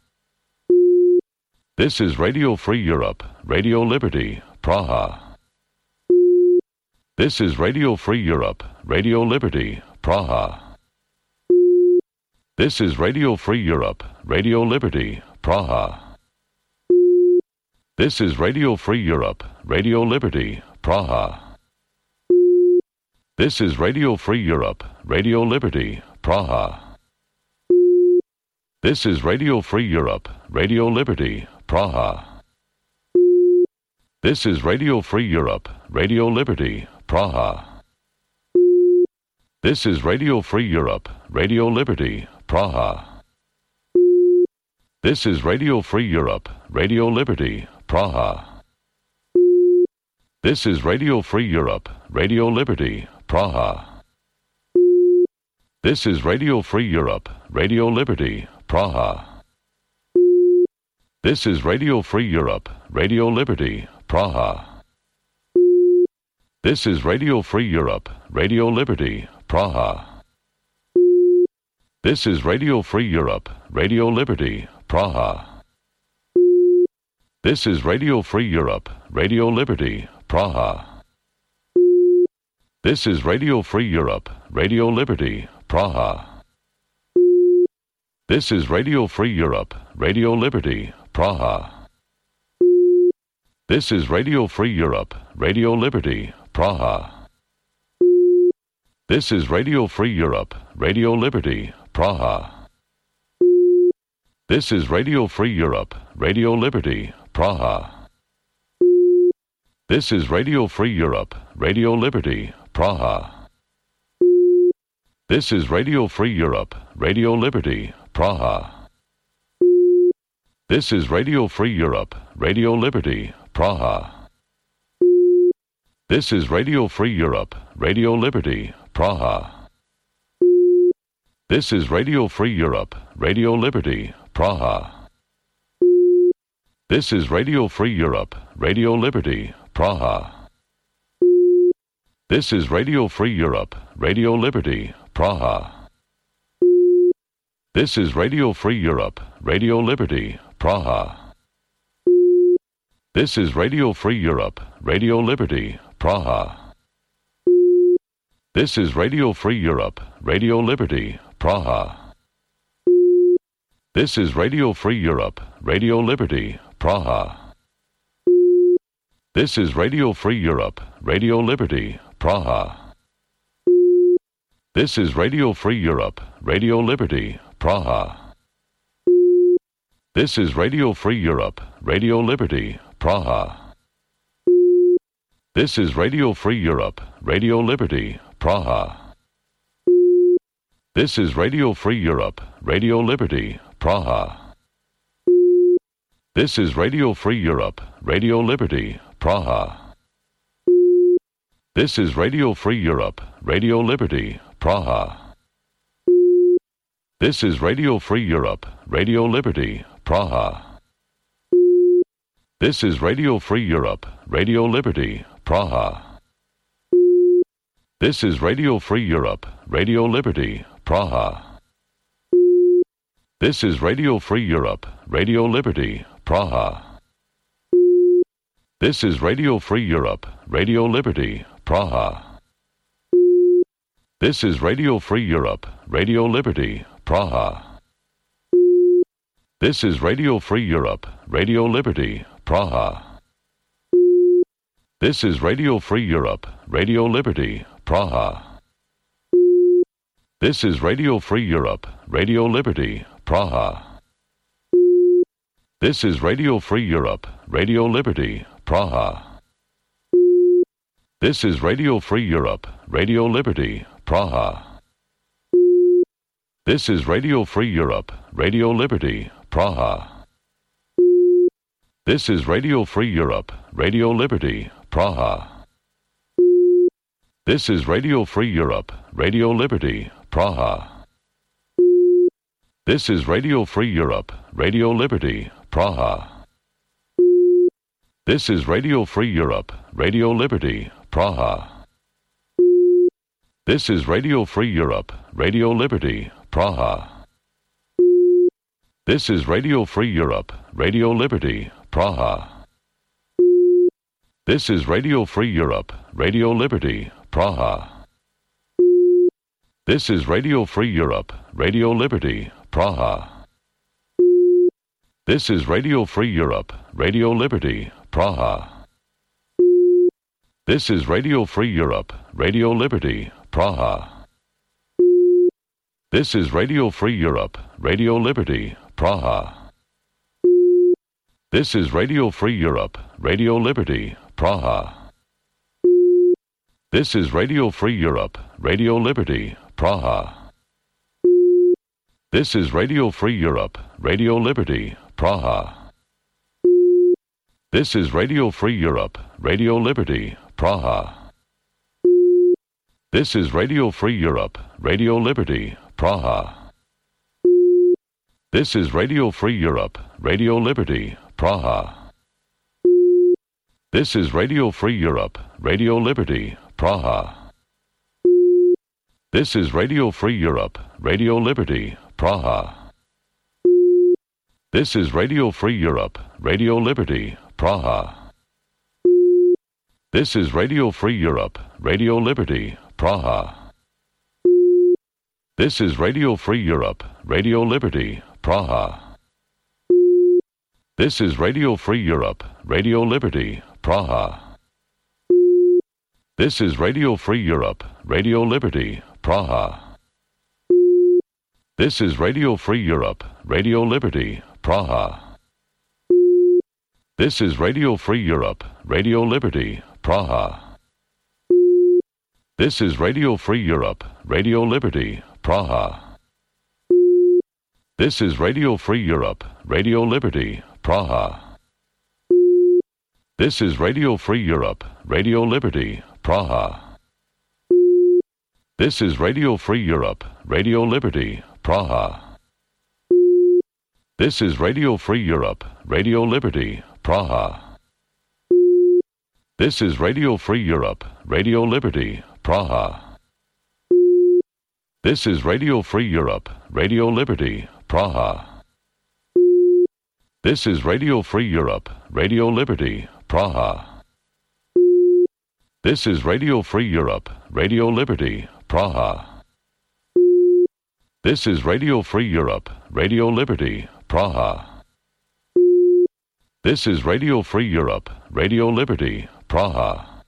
This is Radio Free Europe, Radio Liberty, Praha. This is Radio Free Europe, Radio Liberty, Praha. This is Radio Free Europe, Radio Liberty, Praha. This is Radio Free Europe, Radio Liberty, Praha. This is Radio Free Europe, Radio Liberty, Praha. This is Radio Free Europe, Radio Liberty, Praha. This is Radio Free Europe, Radio Liberty, Praha. This is Radio Free Europe, Radio Liberty, Praha. This is Radio Free Europe, Radio Liberty, Praha. This is Radio Free Europe, Radio Liberty, Praha. This is Radio Free Europe, Radio Liberty, Praha. This is Radio Free Europe, Radio Liberty, Praha. This is Radio Free Europe, Radio Liberty, Praha. This is Radio Free Europe, Radio Liberty, Praha. This is Radio Free Europe, Radio Liberty, Praha. This is Radio Free Europe, Radio Liberty, Praha. This is Radio Free Europe, Radio Liberty, Praha. This is Radio Free Europe, Radio Liberty, Praha. This is Radio Free Europe, Radio Liberty, Praha. This is Radio Free Europe, Radio Liberty, Praha. This is Radio Free Europe, Radio Liberty, Praha. This is Radio Free Europe, Radio Liberty, Praha. This is Radio Free Europe, Radio Liberty, Praha. This is Radio Free Europe, Radio Liberty, Praha. This is Radio Free Europe, Radio Liberty, Praha. This is Radio Free Europe, Radio Liberty, Praha. This is Radio Free Europe, Radio Liberty, Praha. This is Radio Free Europe, Radio Liberty, Praha. This is Radio Free Europe, Radio Liberty, Praha. This is Radio Free Europe, Radio Liberty, Praha. This is Radio Free Europe, Radio Liberty, Praha. This is Radio Free Europe, Radio Liberty, Praha. This is Radio Free Europe, Radio Liberty, Praha. This is Radio Free Europe, Radio Liberty, Praha. This is Radio Free Europe, Radio Liberty, Praha. This is Radio Free Europe, Radio Liberty, Praha. This is Radio Free Europe, Radio Liberty, Praha. This is Radio Free Europe, Radio Liberty, Praha. This is Radio Free Europe, Radio Liberty, Praha. This is Radio Free Europe, Radio Liberty, Praha. This is Radio Free Europe, Radio Liberty, Praha. This is Radio Free Europe, Radio Liberty, Praha. This is Radio Free Europe, Radio Liberty, Praha. This is Radio Free Europe, Radio Liberty, Praha. This is Radio Free Europe, Radio Liberty, Praha. This is Radio Free Europe, Radio Liberty, Praha. This is Radio Free Europe, Radio Liberty, Praha. This is Radio Free Europe, Radio Liberty, Praha. This is Radio Free Europe, Radio Liberty, Praha. This is Radio Free Europe, Radio Liberty, Praha. This is Radio Free Europe, Radio Liberty, Praha. This is Radio Free Europe, Radio Liberty, Praha. This is Radio Free Europe, Radio Liberty, Praha. This is Radio Free Europe, Radio Liberty, Praha. This is Radio Free Europe, Radio Liberty, Praha. This is Radio Free Europe, Radio Liberty, Praha. This is Radio Free Europe, Radio Liberty, Praha. This is Radio Free Europe, Radio Liberty, Praha. This is Radio Free Europe, Radio Liberty, Praha. This is Radio Free Europe, Radio Liberty, Praha. This is Radio Free Europe, Radio Liberty, Praha. This is Radio Free Europe, Radio Liberty, Praha. This is Radio Free Europe, Radio Liberty, Praha. This is Radio Free Europe, Radio Liberty, Praha. This is Radio Free Europe, Radio Liberty, Praha. This is Radio Free Europe, Radio Liberty, Praha. This is Radio Free Europe, Radio Liberty, Praha. This is Radio Free Europe, Radio Liberty, Praha. This is Radio Free Europe, Radio Liberty, Praha. This is Radio Free Europe, Radio Liberty, Praha. This is Radio Free Europe, Radio Liberty, Praha. This is Radio Free Europe, Radio Liberty, Praha. This is Radio Free Europe, Radio Liberty, Praha. This is Radio Free Europe, Radio Liberty, Praha. This is Radio Free Europe, Radio Liberty, Praha. This is Radio Free Europe, Radio Liberty, Praha. This is Radio Free Europe, Radio Liberty, Praha. This is Radio Free Europe, Radio Liberty, Praha. This is Radio Free Europe, Radio Liberty, Praha. This is Radio Free Europe, Radio Liberty, Praha. This is Radio Free Europe, Radio Liberty, Praha. This is Radio Free Europe, Radio Liberty, Praha. This is Radio Free Europe, Radio Liberty, Praha. This is Radio Free Europe, Radio Liberty, Praha. This is Radio Free Europe, Radio Liberty, Praha. This is Radio Free Europe, Radio Liberty, Praha. This is Radio Free Europe, Radio Liberty, Praha.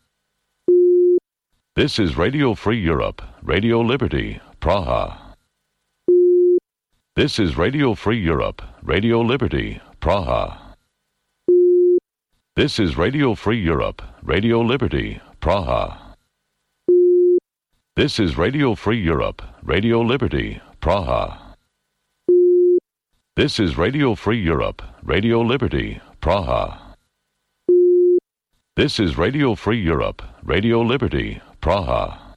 This is Radio Free Europe, Radio Liberty, Praha. This is Radio Free Europe, Radio Liberty, Praha. This is Radio Free Europe, Radio Liberty, Praha. This is Radio Free Europe, Radio Liberty, Praha. This is Radio Free Europe, Radio Liberty, Praha. This is Radio Free Europe, Radio Liberty, Praha.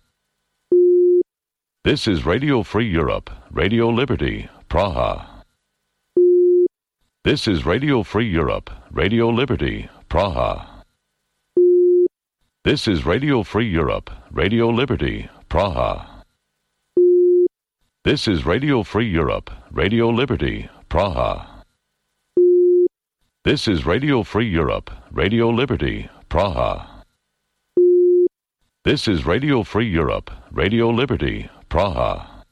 This is Radio Free Europe, Radio Liberty, Praha. This is Radio Free Europe, Radio Liberty, Praha. This is Radio Free Europe, Radio Liberty, Praha. This is Radio Free Europe, Radio Liberty, Praha. This is Radio Free Europe, Radio Liberty, Praha. This is Radio Free Europe, Radio Liberty, Praha.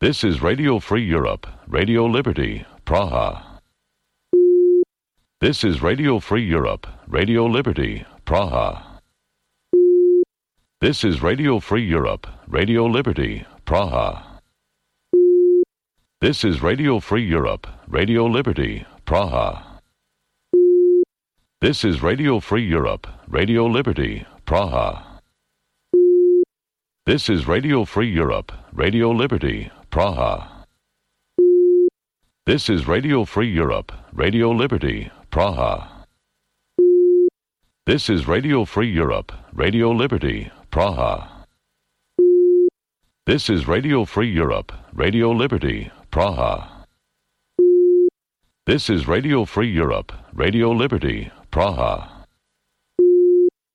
This is Radio Free Europe, Radio Liberty, Praha. This is Radio Free Europe, Radio Liberty, Praha. This is Radio Free Europe, Radio Liberty, Praha. This is Radio Free Europe, Radio Liberty, Praha. This is Radio Free Europe, Radio Liberty, Praha. This is Radio Free Europe, Radio Liberty, Praha. This is Radio Free Europe, Radio Liberty, Praha. This is Radio Free Europe, Radio Liberty, Praha. This is Radio Free Europe, Radio Liberty, Praha. This is Radio Free Europe, Radio Liberty, Praha.